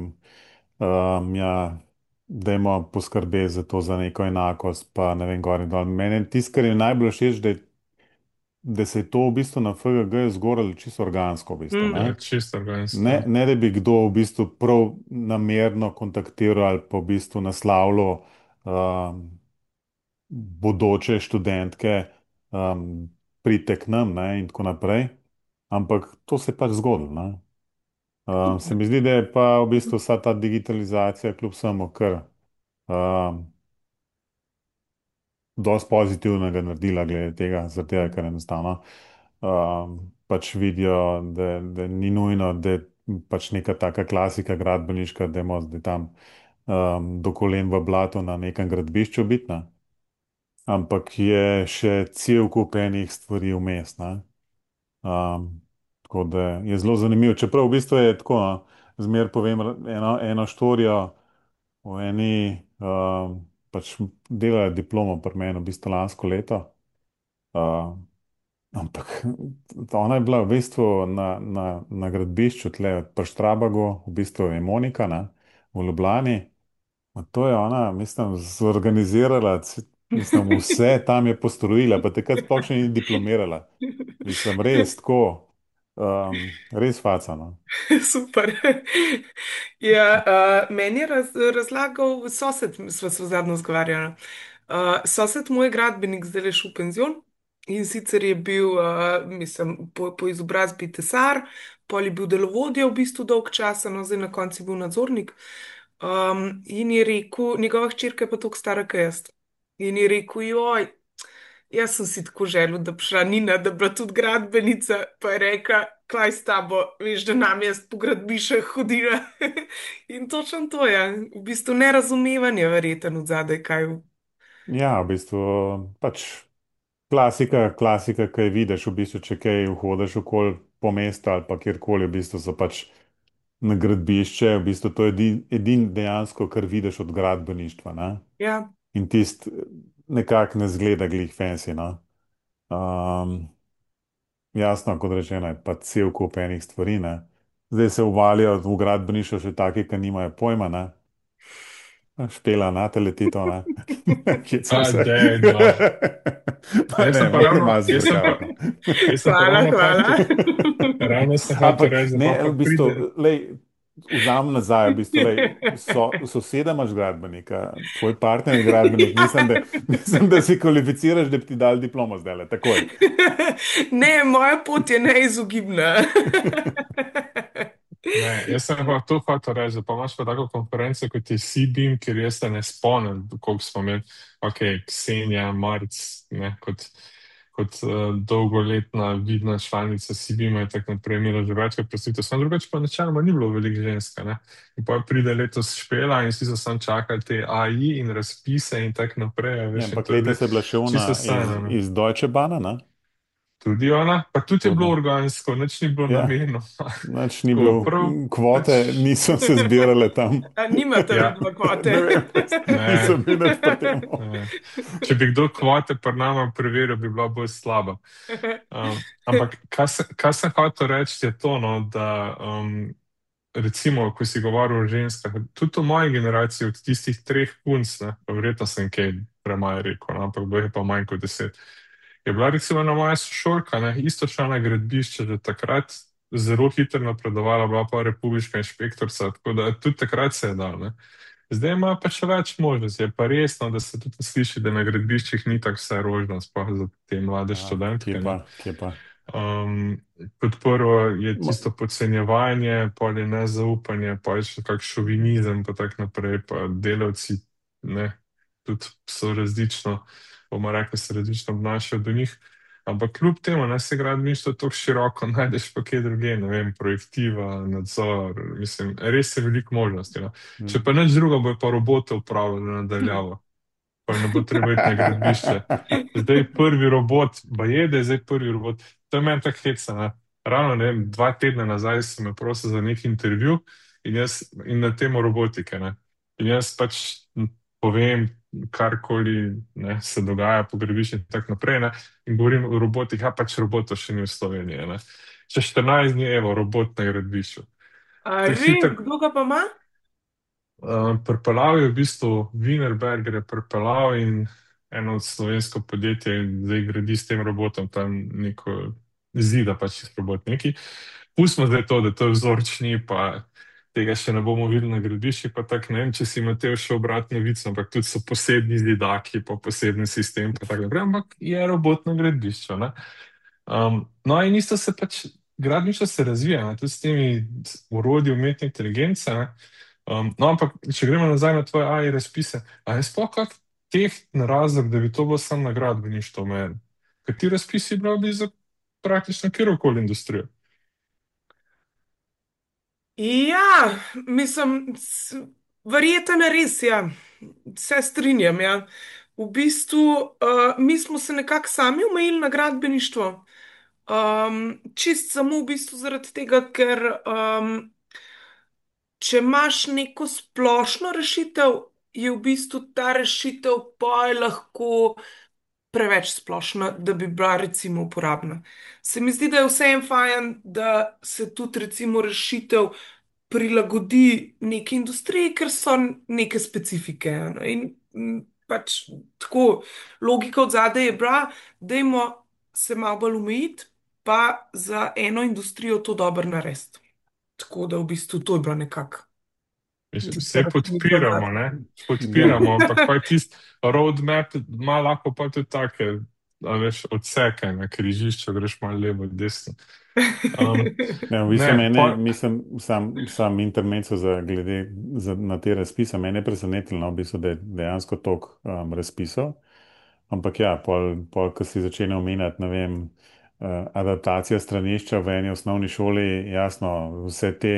um, ja, dajmo poskrbeti za to, za neko enakost, pa ne vem, gor in dol. Mene tisto, kar je najbolj všeč, da je da se je to v bistvu na F G G zgoralo čisto organsko, v bistvu, Mm. ne? Ja, čisto Ne, organsko. ne da bi kdo v bistvu prav namerno kontaktiral ali pa v bistvu naslavljal um, bodoče študentke, um, pridite k nam, ne, in tako naprej. Ampak to se je pač zgodilo, ne. Um, se mi zdi, da je pa v bistvu vsa ta digitalizacija kljub samo kar um, dosti pozitivnega naredila glede tega, zaradi tega, ker enostavno um, pač vidijo, da, da ni nujno, da je pač neka taka klasika gradbeniška, da je zdaj tam um, do kolen v blatu na nekem gradbišču biti, ne. Ampak je še cel kup enih stvari vmes, ne. Um, tako da je zelo zanimivo. Čeprav v bistvu je tako, no, zmer povem eno, eno štorijo o eni, um, pač delala je diplomo pri meni v bistvu lansko leto. Uh, ampak ona je bila v bistvu na, na, na gradbišču tle pri Štrabagu, v bistvu je Monika, ne, v Ljubljani. Ma to je ona, mislim, zorganizirala, c- mislim, vse tam je postrojila, pa takrat sploh še ni diplomirala. Mislim, res tako, um, res facano. Super. Ja, uh, meni je raz, razlagal sosed, sva se zadnjo zgovarjala. Uh, sosed moj gradbenik zdaj je šel v penzion in sicer je bil, uh, mislim, po, po izobrazbi tesar, pol je bil delovodja v bistvu dolg časa, no zdaj na koncu je bil nadzornik. Um, in je rekel, njegova hčerka je pa toliko stara, kot jaz. In je rekel, joj. Jaz sem si tako želel, da bi šla Nina, da bi bila tudi gradbenica, pa je rekla, kaj s tabo, veš, da nam jaz po gradbišču hodila. In točno to je, v bistvu nerazumevanje verjeten od zadaj, kaj. Ja, v bistvu pač klasika, klasika, kaj vidiš, v bistvu, če kaj hodiš okoli po mestu ali pa kjerkoli, v bistvu so pač na gradbišče, v bistvu to je edin, edin dejansko, kar vidiš od gradbeništva, ne? Ja, In tist nekako ne zgleda glih fancy, no. Um, Jasno, kot rečeno, je pa cel kup enih stvari, ne. Zdaj se uvalijo v gradbeništvo še taki, ki nimajo pojma, ne. Špela na teletito, ne. Hecam A, se. dej, no. Pa Jaz ne, sem pa malo ravno, malo jaz sem pa, zbrekavati, no. jaz sem pa hvala, ravno hvala. hotel, ravno sem hotel Ampak reči, da ne, pa pa v bistvu, pride. lej, vzamem nazaj, v bistvu, lej, so, soseda imaš gradbenika, tvoj partner je gradbenik, mislim, da, mislim, da si kvalificiraš, da bi ti dal diplomo zdaj, takoj. Ne, moja pot je neizogibna. Ne, jaz sem pa to hotel reči, da pa imaš pa tako konferenco kot je C-Beam, kjer jaz se ne spomnim, koliko smo imeli, ok, Ksenija, Marc, ne, kot, kot uh, dolgoletna vidna članica C-Beama je tako naprej imela že večkrat predstavitev, samo drugače pa načeloma ni bilo veliko ženska, ne. In pa pride letos Špela in vsi so sam čakali te A I in razpise in tako naprej, a Ja, veš, in ampak to je bilo letos je bila še ona čisto iz, sanjano. iz Deutsche Bahna, ne? Tudi ona, pa tudi je bilo Tudi. organsko, nič ni bilo Ja, namenjeno. nič ni Tako, bilo, prav, pač, kvote niso se zbirale tam. A nimate ja, vidva kvote? Ne vem, ne. nisem bil nič pri tem. Ne. Če bi kdo kvote pri nama preveril, bi bila bolj slaba. Um, ampak kaj, se, kaj sem hotel reči, je to, no, da um, recimo, ko si govoril o ženskah, tudi v moji generaciji, od tistih treh punc, ne, pa verjetno sem kaj premaj rekel, no, ampak bo je pa manj kot deset. Je bila recimo ena moja sošolka, ne, isto šla na gradbišče, že takrat zelo hitro napredovala, bila pa republiška inšpektorica, tako da tudi takrat se je dal, ne. Zdaj ima pa še več možnosti. Je pa resno, da se tudi sliši, da na gradbiščih ni tako vse rožno, sploh za te mlade Ja, kje študentke, pa, ne. kje pa. Um, kot prvo je Ma, tisto podcenjevanje, pol je nezaupanje, pa je še kak šovinizem, pa tako naprej, pa delavci, ne, tudi so različno, bomo rekli, se različno obnašajo do njih. Ampak kljub temu, ne, se gradbeništvo tako široko, najdeš pa kje druge, ne vem, projektiva, nadzor, mislim, res je veliko možnosti, no. Če hm. pa nič drugo, bo pa robote upravljali nadaljavo, pa ne bo treba iti na gradbišče. Zdaj prvi robot, pa je, da je zdaj prvi robot. To je meni tako heca, ne. Ravno, ne vem, dva tedna nazaj sem me prosil za neki intervju in, jaz, in na temo robotike, ne. In jaz pač povem, karkoli, ne, se dogaja po gradbišču in tako naprej, ne. In govorim o robotih, a pač robotov še ni v Sloveniji, ne. Čez štirinajst dni, evo, robot na gradbišču. A To je res, hiter. kdo ga pa ima? Uh, pripeljal je v bistvu Wienerberger, je pripeljal in eno od slovensko podjetje in zdaj gradi s tem robotom tam neko zida pač čist robot neki. Pustimo zdaj to, da to je vzorčni, pa tega še ne bomo videli na gradbišču, pa tako ne vem, če si imel še obratno vico, ampak tudi so posebni zidaki, pa poseben sistem, pa tako naprej, ampak je robot na gradbišču, ne. Um, no in isto se pač, gradbišče se razvija, ne, tudi s temi orodji umetne inteligence, ne. Um, no, ampak če gremo nazaj na tvoje A I razpise, a je sploh kak tehten razlog, da bi to bilo samo na gradbeništvo omejeno? Kateri razpisi bi bili za praktično kjerkoli industrijo? Ja, mislim, s- verjetno res, ja. Se strinjam, ja. V bistvu, uh, mi smo se nekako sami omejili na gradbeništvo. Um, čist samo v bistvu zaradi tega, ker um, če imaš neko splošno rešitev, je v bistvu ta rešitev pa lahko preveč splošna, da bi bila recimo uporabna. Se mi zdi, da je vseeno fajn, da se tudi recimo rešitev prilagodi neki industriji, ker so neke specifike. Ne. In mm, pač tako logika od zadaj je bila, dajmo se malo bolj omejiti, pa za eno industrijo to dobro narediti. Tako da v bistvu to je bila nekako Vse tista razmišljanja podpiramo, zadaj. ne? Ja. Podpiramo, ampak pa je tisti roadmap, ima lahko pa tudi take, a veš, odseke na križišču, greš malo levo, desno. Um, Ne, v bistvu ne, mene, pa, mislim, sam, sam intermezzo za glede za, na te razpise, mene je presenetilo, no, v bistvu, da je dejansko toliko um, razpisov. Ampak ja, pol, pol, ko si začne omenjati, ne vem, uh, adaptacija stranišča v eni osnovni šoli, jasno, vse te,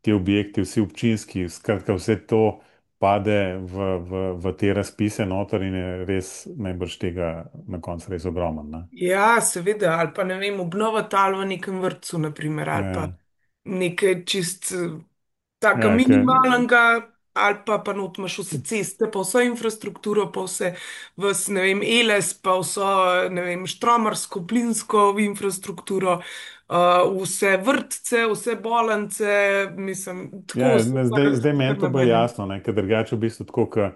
te objekti, vsi občinski, skratka, vse to pade v, v, v te razpise noter in je res najbrž tega na koncu res ogromen, ne. Ja, seveda, ali pa ne vem, obnova tal v nekem vrtcu, naprimer, ali pa Ja, nekaj čist eh, taka ja, ker minimalnega, ali pa pa not imaš vse ceste, pa vso infrastrukturo, pa vse, vs, ne vem, Eles, pa vso, ne vem, štromarsko, plinsko infrastrukturo, uh, vse vrtce, vse bolnice, mislim, tako ja, so ne, pa zdaj, zdaj različne meni to bolj namene. jasno, ne, ker drugače v bistvu tako, ke,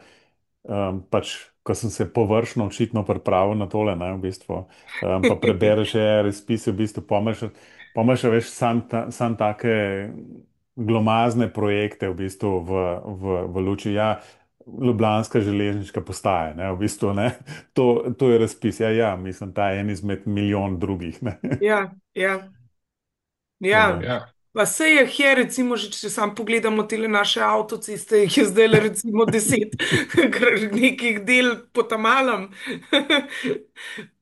um, pač, ko sem se površno očitno pripravil na tole, ne, v bistvu, um, pa prebereš je razpise, v bistvu pomeš, pomeš, veš, sam, ta, sam take glomazne projekte v bistvu v, v, v luči, ja, Ljubljanska železniška postaja, ne, v bistvu, ne, to, to je razpis, ja, ja, mislim, ta je en izmed milijon drugih, ne, Ja, ja. tako Ja, da, ja, pa se je je, recimo, že če sam pogledamo te naše avtoceste, jih je zdaj le recimo deset, ker nekih del potamalem.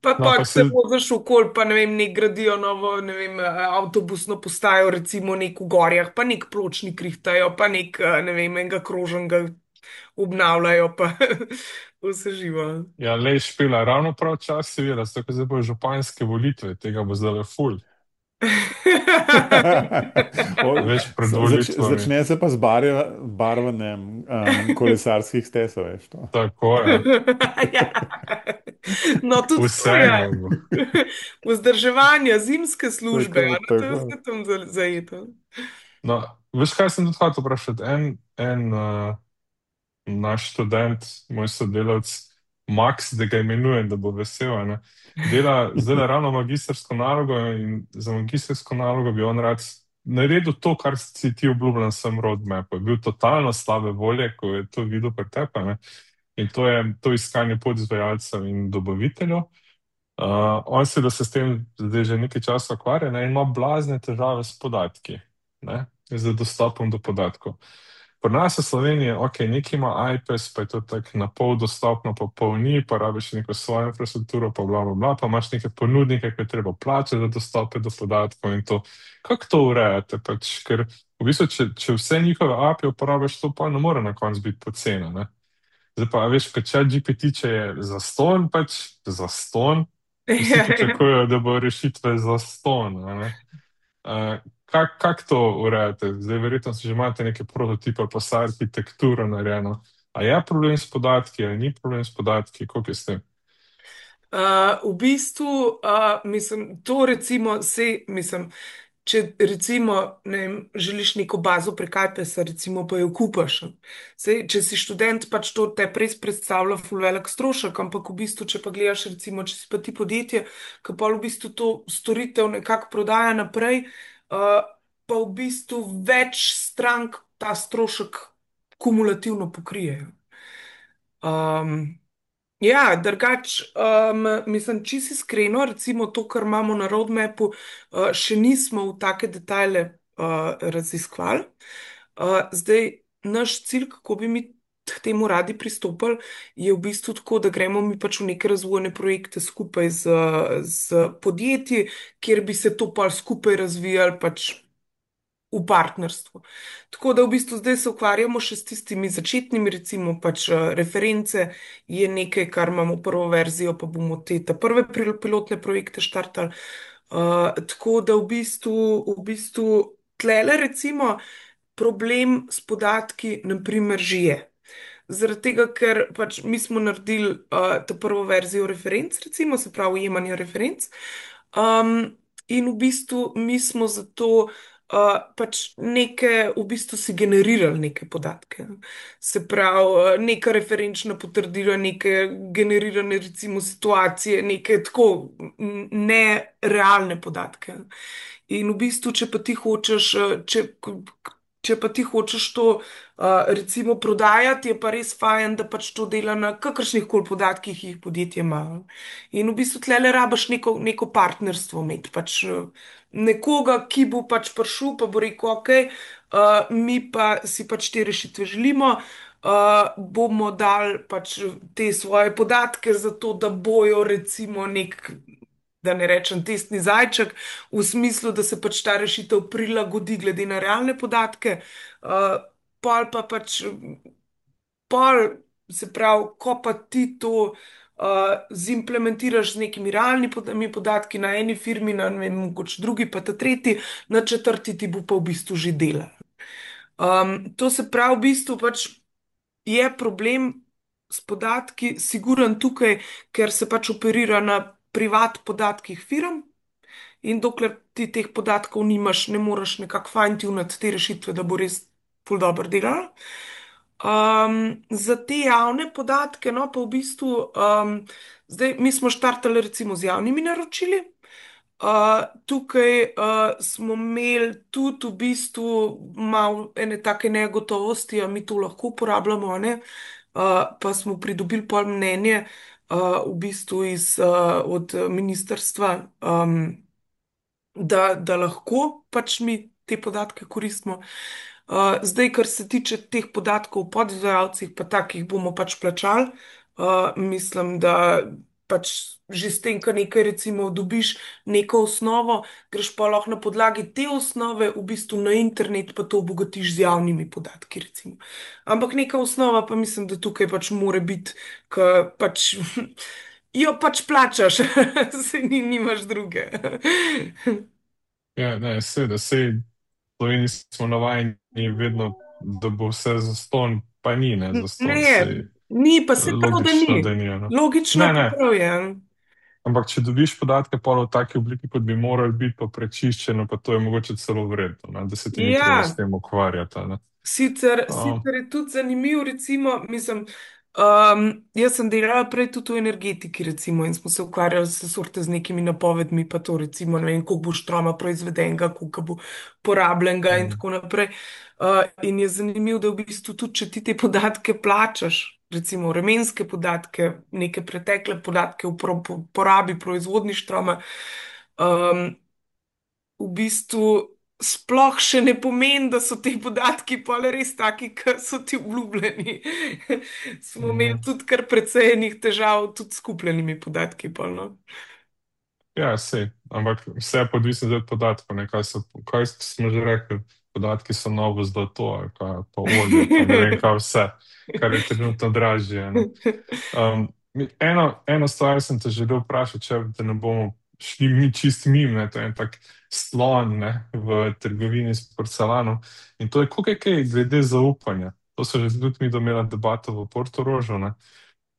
Pa no, pa, pa če se se, voziš okol, pa ne vem, nek gradijo novo, ne vem, avtobusno postajo, recimo nek v gorjah, pa nek pločnik rihtajo, pa nek, eh, ne vem, enega krožnega obnavljajo, pa vse živo. ja, lej špila, ravno prav čas si videla, zato, ker zdaj bojo županske volitve, tega bo zdaj le ful. O, Veš, pred zač, volitvami. začne se pa z barja, barvanjem um, kolesarskih stez, a veš to. Tako je. Ja. No, tudi to je. Vsega bo. Vzdrževanje, zimske službe, Tako, a no, to je tako. vse tam za- zajeto. No, veš, kaj sem tudi hotel vprašati? En, en uh, naš študent, moj sodelavec, Max, da ga imenujem, da bo vesel, a ne, dela zdaj ravno magistrsko nalogo in za magistrsko nalogo bi on rad naredil to, kar si ti obljubljen sem roadmap. Je bil totalno slabe volje, ko je to videl pri tebi, ne. In to je to iskanje podizvajalcev in dobaviteljev. Uh, on se, da se s tem zdaj že nekaj časa ukvarja, ne, in ima blazne težave s podatki, ne, z dostopom do podatkov. Pri nas v Sloveniji, ok, nekaj ima I P E S, pa je to tako na pol dostopno, pa pol ni, pa rabiš neko svojo infrastrukturo, pa bla, bla, bla, pa imaš neke ponudnike, ki je treba plačati za dostope do podatkov in to. Kako to urejate? Pač, ker v bistvu, če, če vse njihove A P I uporabiš, to pa ne more na koncu biti pocena, ne. Zdaj pa, a veš, kot chat G P T, če je zastonj, pač zastonj, vsi pričakujejo, da bo rešitve zastonj, a ne. Uh, kak, kak to urejate? Zdaj verjetno si že imate neke prototipe, pa vsa arhitektura narejena. A je problem s podatki, ali ni problem s podatki, koliko je s tem? Uh, v bistvu, uh, mislim, to recimo se, mislim. če recimo ne vem, želiš neko bazo prek iPesa, recimo pa jo kupaš. Sej, če si študent, pač to te res predstavlja ful velik strošek, ampak v bistvu, če pa gledaš, recimo, če si pa ti podjetje, ki pa v bistvu to storitev nekako prodaja naprej, uh, pa v bistvu več strank ta strošek kumulativno pokrijejo. Um, Ja, drugač, um, mislim, čisto iskreno, recimo to, kar imamo na roadmapu, uh, še nismo v take detajle uh, raziskovali. Uh, zdaj, naš cilj, kako bi mi k temu radi pristopili, je v bistvu tako, da gremo mi pač v neke razvojne projekte skupaj z, z podjetji, kjer bi se to pa skupaj razvijali pač v partnerstvu. Tako da v bistvu zdaj se ukvarjamo še s tistimi začetnimi, recimo pač eh, reference je nekaj, kar imamo prvo verzijo, pa bomo te ta prve pri- pilotne projekte štartali. Uh, tako da v bistvu, v bistvu tlele recimo problem s podatki, naprimer, že je. Zaradi tega, ker pač mi smo naredili uh, to prvo verzijo referenc, recimo, se pravi, ujemanja referenc. Um, in v bistvu mi smo zato uh, pač neke, v bistvu si generirali neke podatke. Se pravi, uh, neka referenčna potrdila, neke generirane, recimo, situacije, neke tako n- nerealne podatke. In v bistvu, če pa ti hočeš, uh, če, če pa ti hočeš to uh, recimo prodajati, je pa res fajn, da pač to dela na kakršnih koli podatkih, ki jih podjetje ima. In v bistvu tlele rabaš neko, neko partnerstvo imeti, pač uh, nekoga, ki bo pač prišel, pa bo rekel, ok, uh, mi pa si pač te rešitve želimo. Uh, bomo dali pač te svoje podatke, zato da bojo recimo nek, da ne rečem, testni zajček, v smislu, da se pač ta rešitev prilagodi glede na realne podatke. Uh, pol pa pač, pol, se pravi, ko pa ti to uh, zimplementiraš z nekimi realnimi pod- mi podatki na eni firmi, na ne vem, mogoče drugi, pa ta tretji, na četrti ti bo pa v bistvu že dela. Um, to se pravi, v bistvu pač je problem s podatki, siguren tukaj, ker se pač operira na privat podatkih firm in dokler ti teh podatkov nimaš, ne moreš nekako fine-tunati te rešitve, da bo res ful dobro delala. Um, za te javne podatke, no pa v bistvu, um, zdaj mi smo štartali recimo z javnimi naročili. Uh, tukaj uh, smo imeli tudi v bistvu malo ene take negotovosti, a mi to lahko uporabljamo, a ne? Uh, pa smo pridobili pol mnenje uh, v bistvu iz, uh, od ministrstva, um, da, da lahko pač mi te podatke koristimo. Uh, zdaj, kar se tiče teh podatkov o podizvajalcih, pa takih bomo pač plačali. Uh, mislim, da pač že s tem, kar nekaj recimo dobiš neko osnovo, greš pa lahko na podlagi te osnove v bistvu na internet, pa to obogatiš z javnimi podatki, recimo. Ampak neka osnova pa mislim, da tukaj pač more biti, ker pač jo pač plačaš, se ni, nimaš druge. Ja, ne, seveda, sej v Sloveniji smo navajeni vedno, da bo vse zastonj, pa ni, ne, zastonj, Ne, sej ni, pa se prav, da logično, ni. da ni, no. Logično Ne, pa ne, prav je. ampak če dobiš podatke pol v taki obliki, kot bi morali biti, pa prečiščeno, pa to je mogoče celo vredno, ne, da se ti ni treba s Ja, tem ukvarjati, ne. sicer, Um, sicer je tudi zanimiv, recimo, mislim, um, jaz sem delala prej tudi v energetiki, recimo, in smo se ukvarjali s sorte z nekimi napovedmi, pa to, recimo, ne vem, koliko bo štroma proizvedenega, koliko bo porabljenega in mm, tako naprej. Uh, in je zanimivo, da v bistvu tudi, če ti te podatke plačaš, recimo vremenske podatke, neke pretekle podatke o pro- po- porabi proizvodni štroma, um, v bistvu sploh še ne pomeni, da so ti podatki pa res taki, kot so ti obljubljeni. Smo imeli mhm. tudi kar precej enih težav, tudi s kupljenimi podatki. Pol, no. Ja, sej, ampak vse je odvisno od podatkov, ne, kaj so, kaj smo že rekli, podatki so novo zlato, ali kaj, pa olje, pa ne vem, kaj vse, kar je trenutno dražje, ne. Um, mi- eno, eno stvar sem te želel vprašati, če da ne bomo šli mi čist mim, ne, to je en tak slon, ne, v trgovini s porcelanom. In to je, koliko je kaj glede zaupanja. To so že tudi mi domela debato v Portorožu, ne.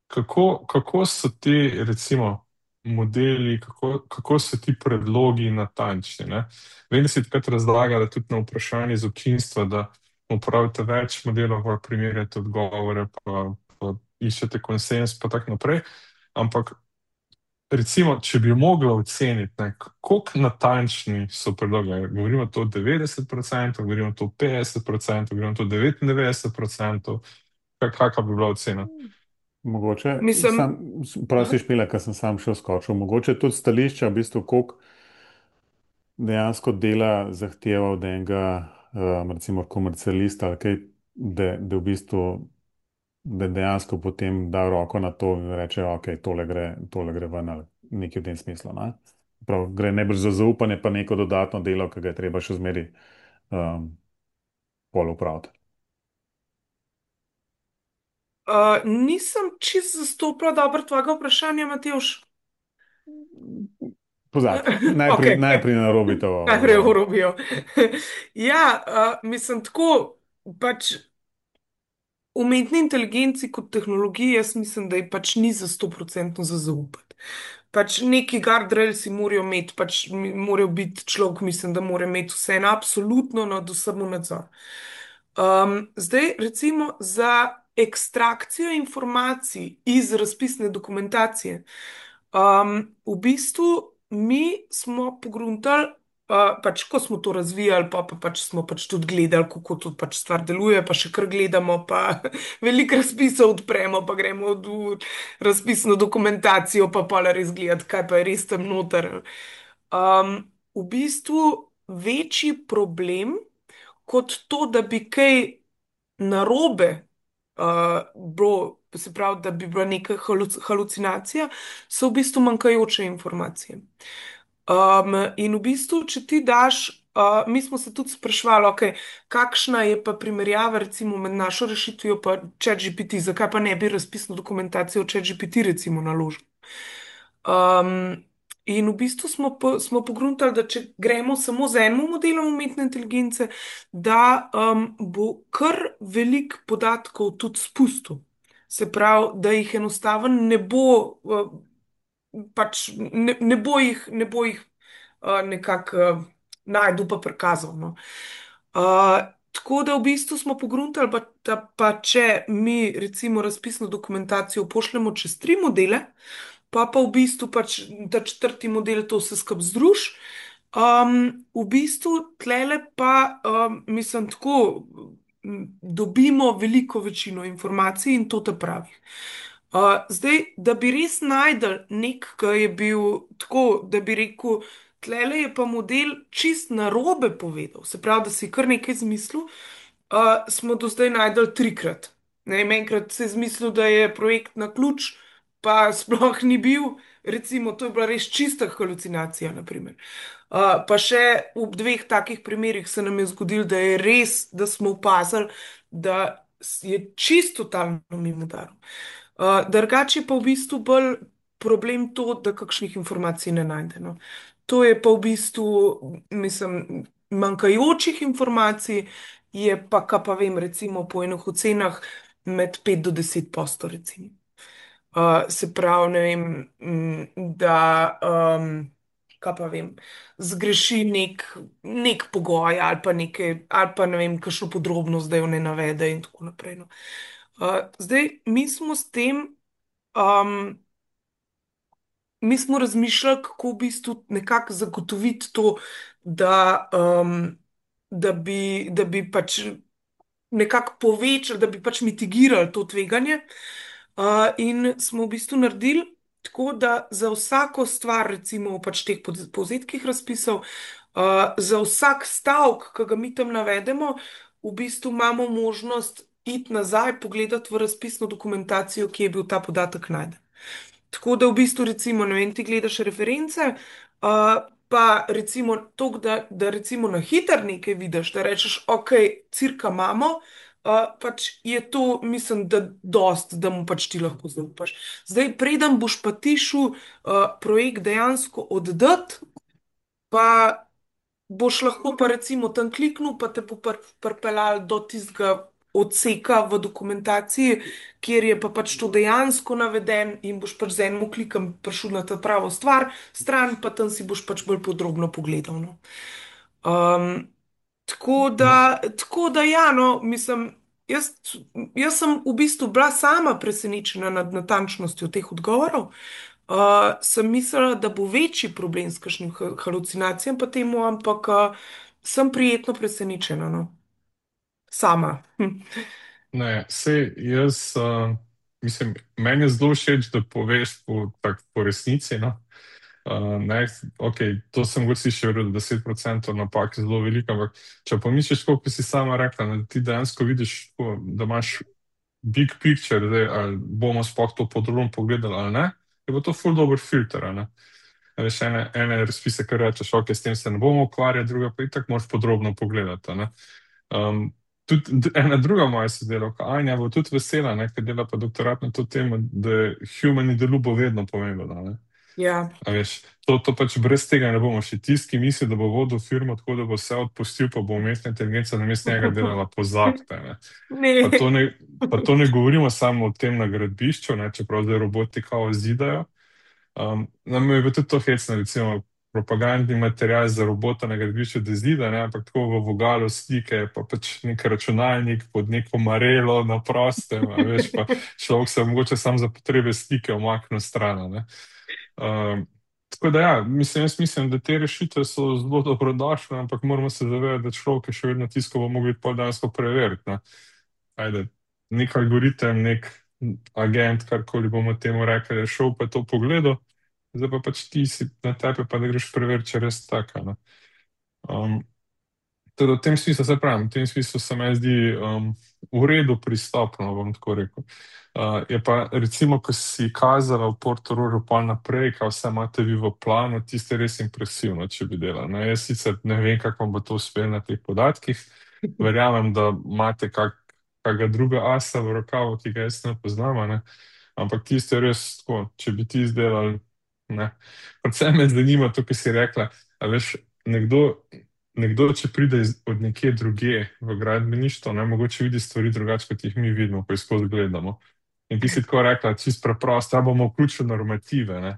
Kako, kako so ti, recimo, modeli, kako, kako so ti predlogi natančni. Ne? Vem, da si takrat razlagali tudi na vprašanje iz občinstva, da uporabite več modelov, pa primerjate odgovore, pa, pa iščete konsens, pa tako naprej. Ampak recimo, če bi mogla oceniti, ne, kako natančni so predlogi, ne, govorimo to devetdeset odstotkov, govorimo to petdeset odstotkov, govorimo to devetindevetdeset odstotkov, kakšna bi bila ocena? Mogoče, sam, Mislim, prosti špila, ker sem sam še skočil, mogoče tudi stališča, v bistvu, koliko dejansko dela zahteva od enega, um, recimo, komercialista, ali kaj, da, da v bistvu, da dejansko potem da roko na to in reče, ok, tole gre, tole gre ven ali nekaj v tem smislu. Ne? Prav, gre najbrž za zaupanje, pa neko dodatno delo, ki ga je treba še zmeri um, pol upraviti. uh, nisem čisto zastopila dobro tvojega vprašanja, Matjoš. Pozabi, Ok, najprej, najprej narobite najprej odgovor. urobijo. Ja, uh, mislim tako, pač umetni inteligenci kot tehnologiji, jaz mislim, da je pač ni za sto procentno za zaupati. Pač neki guardrails si morajo imeti, pač mi- morajo biti človek, mislim, da mora imeti vse en absolutno nad vsem v nadzor. Um, zdaj, recimo, za ekstrakcijo informacij iz razpisne dokumentacije. Um, v bistvu mi smo pogruntali, uh, pač ko smo to razvijali, pa, pa pač smo pač tudi gledali, kako to pač stvar deluje, pa še kar gledamo, pa veliko razpisov odpremo, pa gremo v razpisno dokumentacijo, pa pa res gledati, kaj pa je res tam noter. Um, v bistvu večji problem kot to, da bi kaj narobe uh, bilo, se pravi, da bi bila neka haluc halucinacija, so v bistvu manjkajoče informacije. Um, in v bistvu, če ti daš, uh, mi smo se tudi sprašvali, okay, kakšna je pa primerjava recimo med našo rešitvijo pa ChatGPT, zakaj pa ne bi razpisno dokumentacijo ChatGPT recimo naložili. Um, in v bistvu smo, po, smo pogruntali, da če gremo samo z enim modelom umetne inteligence, da um, bo kar velik podatkov tudi spustil. Se pravi, da jih enostavno ne bo, uh, pač ne, ne bo jih, ne bo jih uh, nekako uh, najdel pa prikazal. No. Uh, tako da v bistvu smo pogruntali, pa, da pa če mi recimo razpisno dokumentacijo pošljemo čez tri modele, pa pa v bistvu pač ta četrti model to vse skupaj združ. Um, v bistvu tlele pa, um, mislim, tako m, dobimo veliko večino informacij in to te pravi. Uh, zdaj, da bi res najdel nek, ki je bil tako, da bi rekel, tlele je pa model čist narobe povedal, se pravi, da si je kar nekaj zmislil, uh, smo do zdaj najdel trikrat. Ne, vem, enkrat se je zmislil, da je projekt na ključ, pa sploh ni bil, recimo, to je bila res čista halucinacija, naprimer. Uh, pa še v dveh takih primerih se nam je zgodilo, da je res, da smo opazili, da je čisto totalno mimo udaril. Uh, drugače pa v bistvu bolj problem to, da kakšnih informacij ne najde. No. To je pa v bistvu, mislim, manjkajočih informacij je pa, kaj pa vem, recimo po enih ocenah med pet do deset posto, recimo. Uh, se pravi, ne vem, m, da, um, kaj pa vem, zgreši nek, nek pogoj ali pa nekaj, ali pa ne vem, kakšno podrobnost, da jo ne navede in tako naprej. No. Uh, zdaj, mi smo s tem, um, mi smo razmišljali, kako v bistvu nekako zagotoviti to, da, um, da bi, da bi pač nekako povečali, da bi pač mitigirali to tveganje. Uh, in smo v bistvu naredili tako, da za vsako stvar, recimo v pač teh pod- povzetkih razpisov, uh, za vsak stavek, ki ga mi tam navedemo, v bistvu imamo možnost iti nazaj, pogledati v razpisno dokumentacijo, kje je bil ta podatek najden. Tako da v bistvu, recimo, ne vem, ti gledaš reference, uh, pa recimo to, da, da recimo na hiter nekaj vidiš, da rečeš, ok, cirka imamo, uh, pač je to, mislim, da dost, da mu pač ti lahko zaupaš. Zdaj, preden boš pa ti šel uh, projekt dejansko oddati, pa boš lahko pa recimo tam kliknil, pa te bo pr- pripeljal do tistega odseka v dokumentaciji, kjer je pa pač to dejansko naveden in boš pač z enim klikom prišel na ta pravo stvar, stran pa tam si boš pač bolj podrobno pogledal. No. Um, tako No, da, tako da ja, no, mislim, jaz, jaz sem v bistvu bila sama presenečena nad natančnostjo teh odgovorov. Uh, sem mislila, da bo večji problem s kakšnim ha- halucinacijam, pa temu, ampak uh, sem prijetno presenečena, no. Sama. Hm. ne, sej jaz, uh, mislim, meni je zelo všeč, da poveš po, tak, po resnici, no. Uh, ne, ok, to sem mogoče slišal, da deset procentov napak je zelo veliko, ampak če pomisliš, koliko si sama rekla, da ti dejansko vidiš, tako, da imaš big picture, zdaj, ali bomo sploh to podrobno pogledali ali ne, je pa to full dober filter, a ne. A veš, ene, ene razpise, kar rečeš, ok, s tem se ne bomo ukvarjali, druga pa itak moraš podrobno pogledati, a ne. Um, tudi d- ena druga moja sodelavka, Anja, bo tudi vesela, ne, ker dela pa doktorat na to temo, da je human in the loop bo vedno pomembno, ne. Ja. A veš, to, to pač brez tega ne bomo še tisti, ki misli, da bo vodil firmo tako, da bo vse odpustil, pa bo umetna inteligenca namesto njega delala, pozabite, ne. Pa Ne. to ne, pa to ne govorimo samo o tem na gradbišču, ne, čeprav zdaj roboti kao zidajo. Um, nam je bilo tudi to hecno, recimo propagandni material za robota na gradbišču, da zida, ne, ampak tako v vogalu slike, pa pač nek računalnik pod neko marelo na prostem, a veš, pa človek se mogoče sam za potrebe slike omakne stran, a ne. Um, tako da ja, mislim, jaz mislim, da te rešitve so zelo dobrodošle, ampak moramo se zavedati, da človek je še vedno tisto, ko bo mogli pol dejansko preveriti, ne. Ajde, nek algoritem, nek agent, karkoli bomo temu rekli, je šel pa je to pogledal, zdaj pa pač ti si na tebe, pa da greš preveriti, če je res tako, ne. Um, Teda v tem smislu, se pravim, v tem smislu se meni zdi um, v redu pristopno, bom tako rekel. Uh, je pa recimo, ko si kazala v Portorožu pa naprej, kaj vse imate vi v planu, tiste res impresivno, če bi delala. Ne, jaz sicer ne vem, kako vam bo to uspelo na teh podatkih, verjamem, da imate kak, kakega druga asa v rokavu, ki ga jaz ne poznam, a ne, ampak tiste res tako, če bi ti izdelali, ne. Predvsem me zanima to, kar si rekla, a veš, nekdo nekdo, če pride iz, od nekje druge v gradbeništvo, ne, mogoče vidi stvari drugače, kot jih mi vidimo, ko jih skozi gledamo. In ti si tako rekla, čist preprosto, da bomo vključili normative, ne.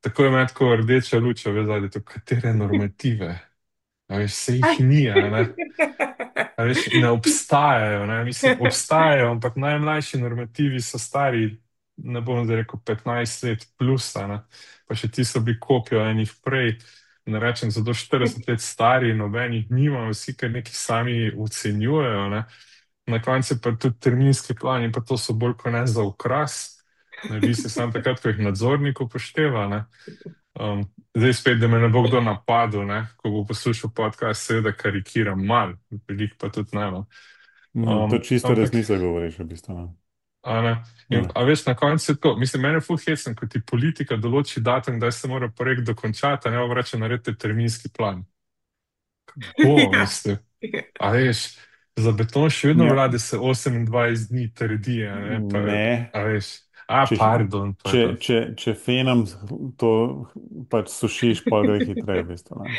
Tako je meni tako rdeča luč, a veš, da je to, katere normative? A veš, se jih ni, a ne. A veš, ne obstajajo, ne? Mislim, obstajajo, ampak najmlajši normativi so stari, ne bom zdaj rekel petnajst let plus, a ne? Pa še ti so bili kopijo enih prej, ne rečem, zato štirideset let stari, nobenih nima, vsi kar neki sami ocenjujejo, ne? Na koncu pa tudi terminski plani, pa to so bolj kot ne za okras, ne bi se sam takrat, ko jih nadzornik upošteva, ne? Um, zdaj spet, da me ne bo kdo napadel, ne? Ko bo poslušal podcast, seveda karikiram mal, veliko pa tudi ne. No. Mm, to Um, čisto ampak, resnico govoriš, v bistvu. Ne. a ne, in, Ja. a veš, na koncu je tako, mislim, mene je ful hecen, ko ti politika določi datum, da se mora projekt dokončati, a ne pa reče, naredite terminski plan. Kako, Ja. mislim, a veš, za beton še vedno Ja. vlade se osemindvajset dni trdi, a ne, pa, Ne, a veš, a, če, pardon, če, pardon. če, če fenom to pač sušiš, pa gre hitreje, v bistvu. Ne.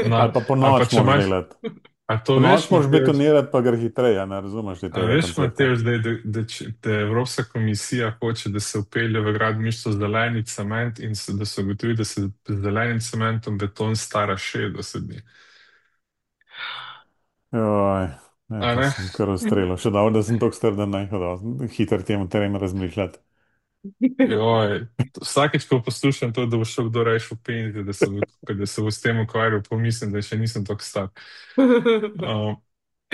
No, Ali pa po ali pa noč če moraš imaš, delati. a to Po noč veš, moraš Matej, betonirati, pa gre hitreje, ne razumeš ti a tega veš, koncepta. Matej, zdaj, da, da, če- da Evropska komisija hoče, da se upelje v gradbištvo zeleni cement in se, da se ugotovi, da se z zelenim cementom beton stara šestdeset dni. Joj, ne, A to ne? sem kar ustrelil. Še dobro, da sem tako star, da ne hodil hitro tem terem razmišljati. Joj, vsakeč, ko poslušam to, da bo šel kdo reči v penzi, da se, bo- da se bo s tem ukvarjal, pomislim, da še nisem tako star. Um,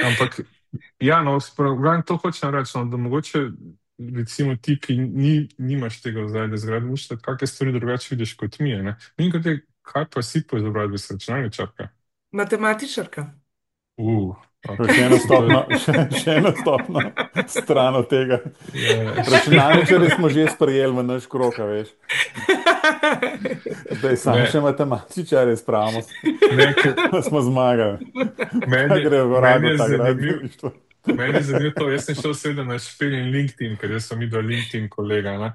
ampak, ja, no, sprav, to hočem reči, no, da mogoče, recimo ti, ki ni, nimaš tega ozadja zgradništva, kakšne stvari drugače vidiš kot mi, ne? In kot je, kaj pa si po izobrazbi s računalničarka? Matematičarka. Uh, To ok, je še ena se to je, stopna, še, še ena stopna stran od tega. je, Računalničarje smo že sprejeli v naš krog, a veš. Zdaj samo ne, še matematičarje spravimo, ne, ker pa smo zmagali. Pa meni, gre v meni rago je ta zanimiv, gradbeništvo. meni je zanimivo to, jaz sem šel seveda na špiljen LinkedIn, ker jaz sem videl LinkedIn kolega, ne?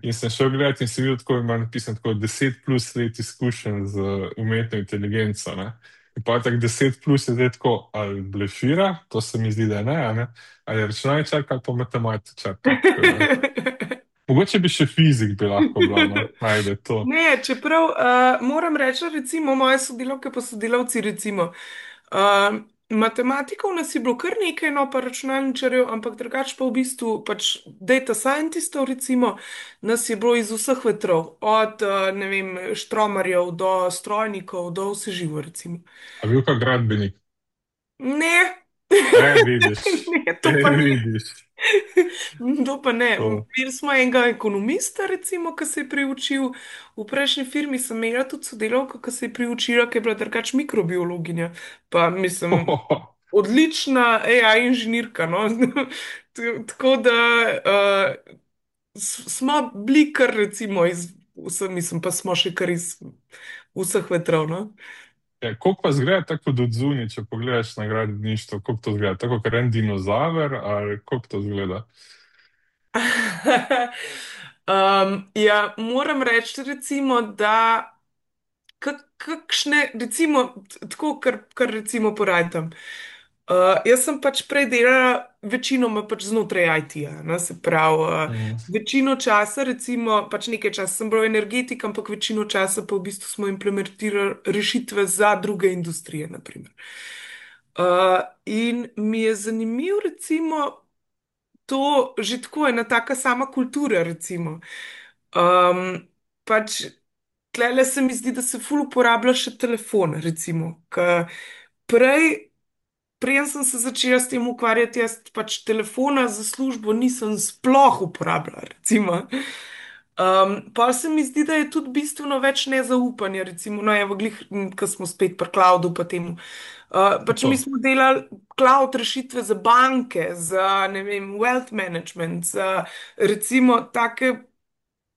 In sem šel gledati in sem videl, tako ima napisano tako deset plus let izkušenj z umetno inteligenco, ne? In pa tako deset plus je zdaj tako, ali blefira, to se mi zdi, da ne, a ne, ali računalničarka ali pa matematičarka. Tako da. Mogoče bi še fizik bi lahko bila, no, najde to. Ne, čeprav uh, moram reči, recimo, moje sodelavke pa sodelavci, recimo, uh, matematikov nas je bilo kar nekaj, no pa računalničarjev, ampak drugače pa v bistvu pač data scientistov, recimo, nas je bilo iz vseh vetrov, od, uh, ne vem, štromarjev do strojnikov, do vse živo, recimo. A bil kak gradbenik? Ne, E, vidiš, ne, e, to pa ne. vidiš. To pa ne. To. Imeli smo enega ekonomista, recimo, ki se je priučil. V prejšnji firmi sem imela tudi sodelavko, ki se je priučila, ki je bila drugač mikrobiologinja. Pa mislim, odlična A I inženirka. No? T- Tako da uh, s- smo bili kar recimo iz vseh, mislim, pa smo še kar iz vseh vetrov. No? Ja, koliko pa zgleda tako od zunaj, če pogledaš na gradbeništvo, koliko to zgleda? Tako kot en dinozaver, ali koliko to zgleda? Um, ja, moram reči, recimo, da kak- kakšne, recimo, t- tako, kar, kar recimo porajtam. Uh, jaz sem pač prej delala večinoma pač znotraj I T-ja, no, se pravi, uh, Mm. večino časa, recimo, pač nekaj časa sem bila energetik, ampak večino časa pa v bistvu smo implementirali rešitve za druge industrije, naprimer. Uh, in mi je zanimiv, recimo, to že tako ena taka sama kultura, recimo. Um, pač tlele se mi zdi, da se ful uporablja še telefon, recimo. Ke prej, preden sem se začela s tem ukvarjati, jaz pač telefona za službo nisem sploh uporabljala, recimo. Um, pa se mi zdi, da je tudi bistveno več nezaupanja, recimo, no, evo, glih, ko smo spet pri cloudu, pa temu. Uh, pač mi To. smo delali cloud rešitve za banke, za, ne vem, wealth management, za recimo take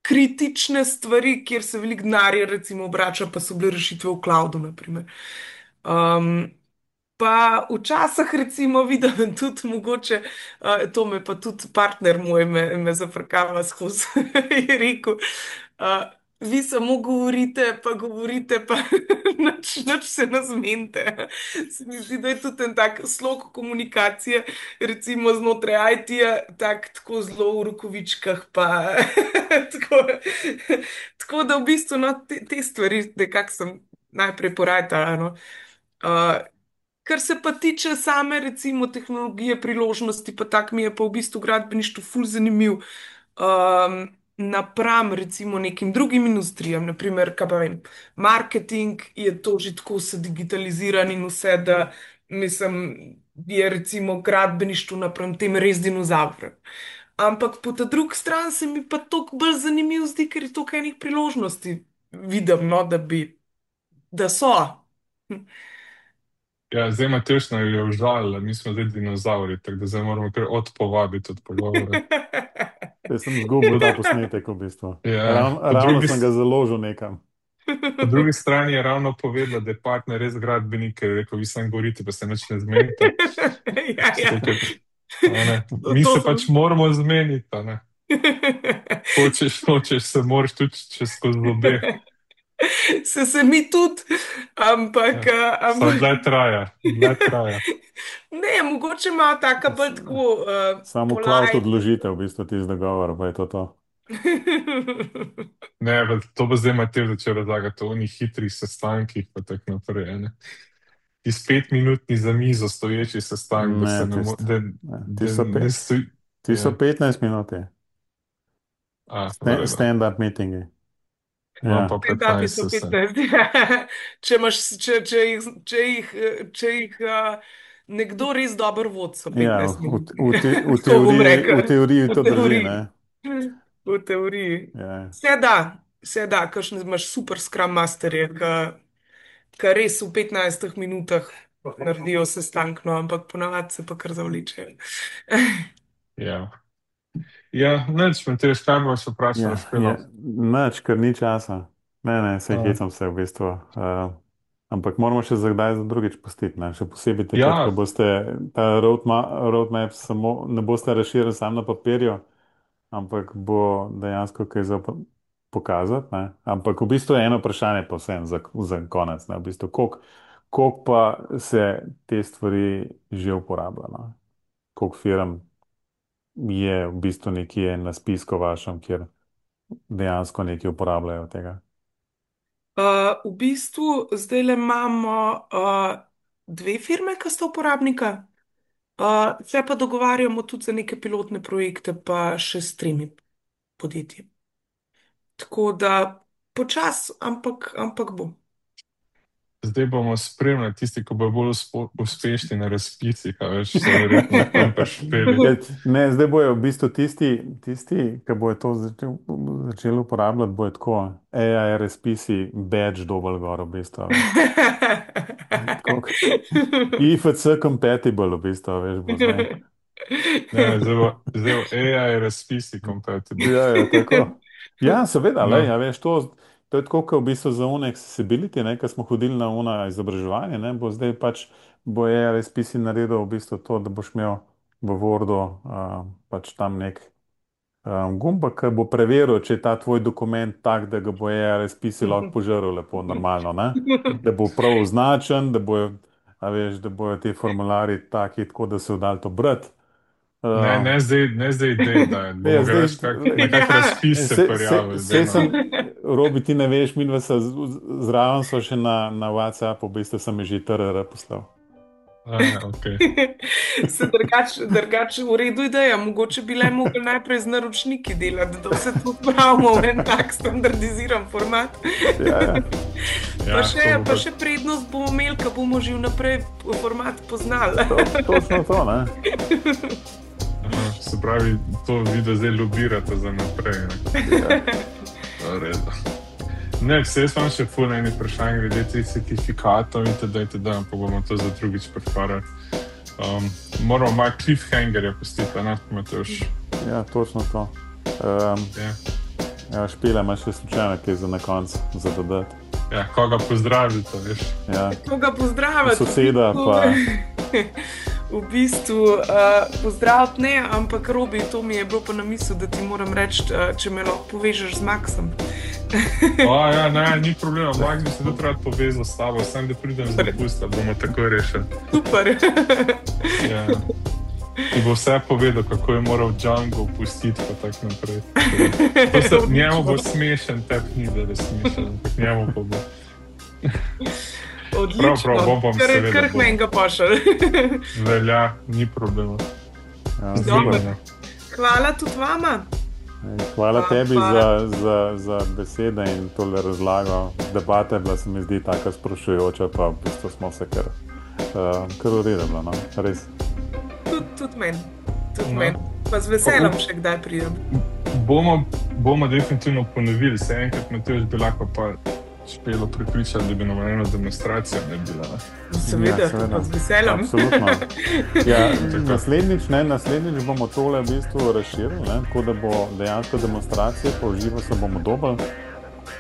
kritične stvari, kjer se veliko denarja recimo obrača, pa so bile rešitve v cloudu, naprimer. Um, Pa včasih recimo vidim tudi mogoče, uh, to me pa tudi partner moj me, me zafrkava skozi, je rekel, uh, vi samo govorite, pa govorite, pa nič, nič se ne zmenite. Se mi zdi, da je tudi en tak slog komunikacije, recimo znotraj I T-ja, tak, tako zelo v rokovičkah, pa tako, tako da v bistvu no, te, te stvari, nekako sem najprej porajala. No. Uh, Kar se pa tiče same, recimo, tehnologije, priložnosti, pa tak mi je pa v bistvu gradbeništvo ful zanimiv. Um, napram, recimo, nekim drugim industrijam, naprimer, kaj pa vem, marketing je to že tako vse digitaliziran in vse, da mislim, je recimo gradbeništvo napram tem res dinozaver. Ampak po ta drugi strani se mi pa toliko bolj zanimiv zdi, ker je toliko enih priložnosti vidim, no, da bi, da so. Ja, zdaj Matevž nam je užal, mi smo zdaj dinozavri, tako da zdaj moramo kar odpovabiti od pogovora. Jaz sem zgubil ta posnetek v bistvu. Ja, Ravno, po ravno drugi, sem ga s- založil nekam. po drugi strani je ravno povedala, da je partner res gradbenik, ker je rekel, vi samo govorite, pa se nič ne zmenite. Ja, ja. Zato, ker, a ne, To, mi to se pač sem. moramo zmeniti, a ne. Hočeš, hočeš, se moraš tudi čez skozi zobe. Se, se mi tudi, ampak, Ja. a, Samo ampak dlje traja, dlje traja. ne, mogoče ima taka bolj S- tako uh, Samo cloud polite. odložitev, v bistvu tisti dogovor, pa je to to. Ne, pa to bo zdaj Matej začel razlagati o onih hitrih sestankih, pa tako naprej. a ne. Iz petminutni za mizo stoječi sestank, da se Ne, ne, mo- tist, da, ne, ti da so, ne pe, stoji. ti so Ja, petnajst minut, je. a, v Sta- redu. stand-up meetingi. Imam pa Ja, Stand-upi petnajst so vse. petnajst. Če imaš, če, če jih, če jih, eh, če jih uh, nekdo res dobro vodi, so ja petnajst v, minut. v, te, v, Tako bom teoriji, v rekel. teoriji V to drži, teoriji. ne? V teoriji. Ja. Vse da, vse da, kakšne imaš super Scrum Masterje, ki res v petnajstih minutah naredijo sestanek, no, ampak ponavadi se pa kar zavlečejo. Ja, ja neč, Matej, kaj boš vprašal, Ja, špelo? je, nič, ker ni časa. Ne, ne, se A, hecam se v bistvu. Uh, ampak moramo še za kdaj za drugič pustiti, ne? Še posebej takrat, ko ja, boste ta roadmap, roadmap samo, ne boste razširili sam na papirju, ampak bo dejansko kaj za po- pokazati. Ne? Ampak v bistvu je eno vprašanje povsem za, za konec. Ne? V bistvu, koliko koliko pa se te stvari že uporabljajo? No? Koliko firm je v bistvu nekje na spisku vašem, kjer dejansko nekaj uporabljajo od tega? Uh, v bistvu zdaj le imamo uh, dve firme, ki sta uporabnika, uh, se pa dogovarjamo tudi za neke pilotne projekte, pa še s tremi podjetji. Tako da počas, ampak, ampak bo. Zdaj bomo spremljali tisti, ki bodo bolj uspo- uspešni na razpisih, a veš, so verjetno tam prišpeli. Ja, ne, zdaj bojo v bistvu tisti, tisti ki bojo to začel, začeli uporabljati, bojo tako A I razpisi, badge dovolj gor, v bistvu. a veš. Tako kot I F C compatible, v bistvu, a veš, bo zdaj. Ne, zdaj bo, zdaj bo A I razpisi compatible. Ja, ja, tako. Ja, seveda, No. lej, a veš, to, to je tako, kot v bistvu za une accessibility, ne, ko smo hodili na una izobraževanje, ne, bo zdaj pač bo A I razpisi naredil v bistvu to, da boš imel v Wordu uh, pač tam nek um, gumbek, ki bo preveril, če je ta tvoj dokument tak, da ga bo A I razpisi lahko požrl lepo, normalno, ne? Da bo prav označen, da bojo, a veš, da bojo ti formularji taki, tako da se v dal to brati. Ne, Uh, ne zdaj, ne zdaj, dej, da Ja, bomo zdaj, greš kak, na Ja. kak razpis se se, se, prijavili. se zdaj, sem, no. Robi, ti ne veš, mi dva se zraven so še na, na WhatsAppu, v bistvu sem že T R R poslal. A, ja, okay. Se drugače drugač v redu ideja, mogoče bi le mogli najprej z naročniki delati, da vse to spravimo v en tak standardiziran format. Ja, ja. Ja, Pa še, to bo pa pa- še prednost bomo imeli, ko bomo že vnaprej format poznali. To, točno to, ne? Aha, se pravi, to video zdaj lobirate za naprej. Ne? Ja. V redu. Ne, se jaz imam še ful eni vprašanj glede teh certifikatov in td. itd., pa bomo to za drugič preparali. Um, moramo malo cliffhangerja pustiti, ne, Matevž? Ja, točno to. Um, Ja. ja, Špila, imaš še slučajno kaj za na koncu, za dodati? Ja, koga pozdravite, veš? Ja, Koga pozdraviti? soseda pa. V bistvu uh, pozdraviti ne, ampak Robi, to mi je bilo pa na misel, da ti moram reči, uh, če me lahko povežeš z Maksom. O, ja, ne, ni problema, Max bi se tudi rad povezal s tabo, sem da pridem z dopusta, bomo tako rešili. Super. Ja. Ti bo vse povedal, kako je moral Django pustiti, pa tako naprej. To se, njemu bo smešen, tebi ni, da je smešen, ampak njemu pa bo. Odlično. Prav, prav, bom, bom, Kar- seveda Kar bom. menga pošel. Velja, ni problema. Ja, Dobro. super. Hvala tudi vama. Ej, Hvala Pa- tebi pa- za, za, za besede in tole razlago. Debata je bila, se mi zdi, tako sprašujoča, pa v bistvu smo se kar, uh, kar uredili, no? Res. Tudi tud meni. Tud No. men. Pa z veseljem še kdaj pridem. Bomo, bomo definitivno ponovili, se enkrat Matevž bi lahko pa Špelo pripričali, da bi nam eno demonstracijo ne bila. Ne? Seveda, Ja, seveda. pa z veseljem. Absolutno. Ja, naslednjič, ne, naslednjič bomo tole v bistvu razširili, ne, tako da bo dejansko demonstracija, pa v živo se bomo dobili,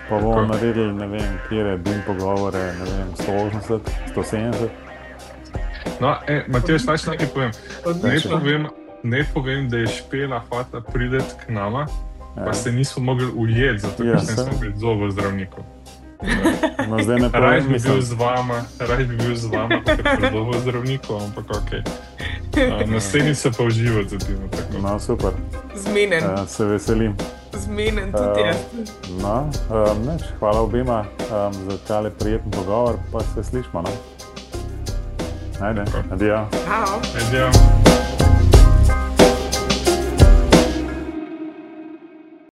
pa bomo Tako. naredili, ne vem, kjere bim pogovore, ne vem, sto osemdeset, sto sedemdeset. No, e, Matevž, naj še nekaj povem. Ne Odlično. povem, ne povem, da je Špela hotela priti k nama, pa Ja. se nismo mogli ujeti, zato Ja, ker se saj. nismo bili zobo zdravnikov. No, zdaj ne Raj povem, bi bil mislim, z vama, raj bi bil z vama, ker sem zobo zdravnikov, ampak ok. Naslednjič se pa uživo zadimo. tako. no, super, Zmenen, uh, se veselim. zmenen tudi Uh, jaz. No, um, neč, hvala obima um, za tale prijeten pogovor, pa se slišmo, no? Ajde, adijo. Ciao. Adijo.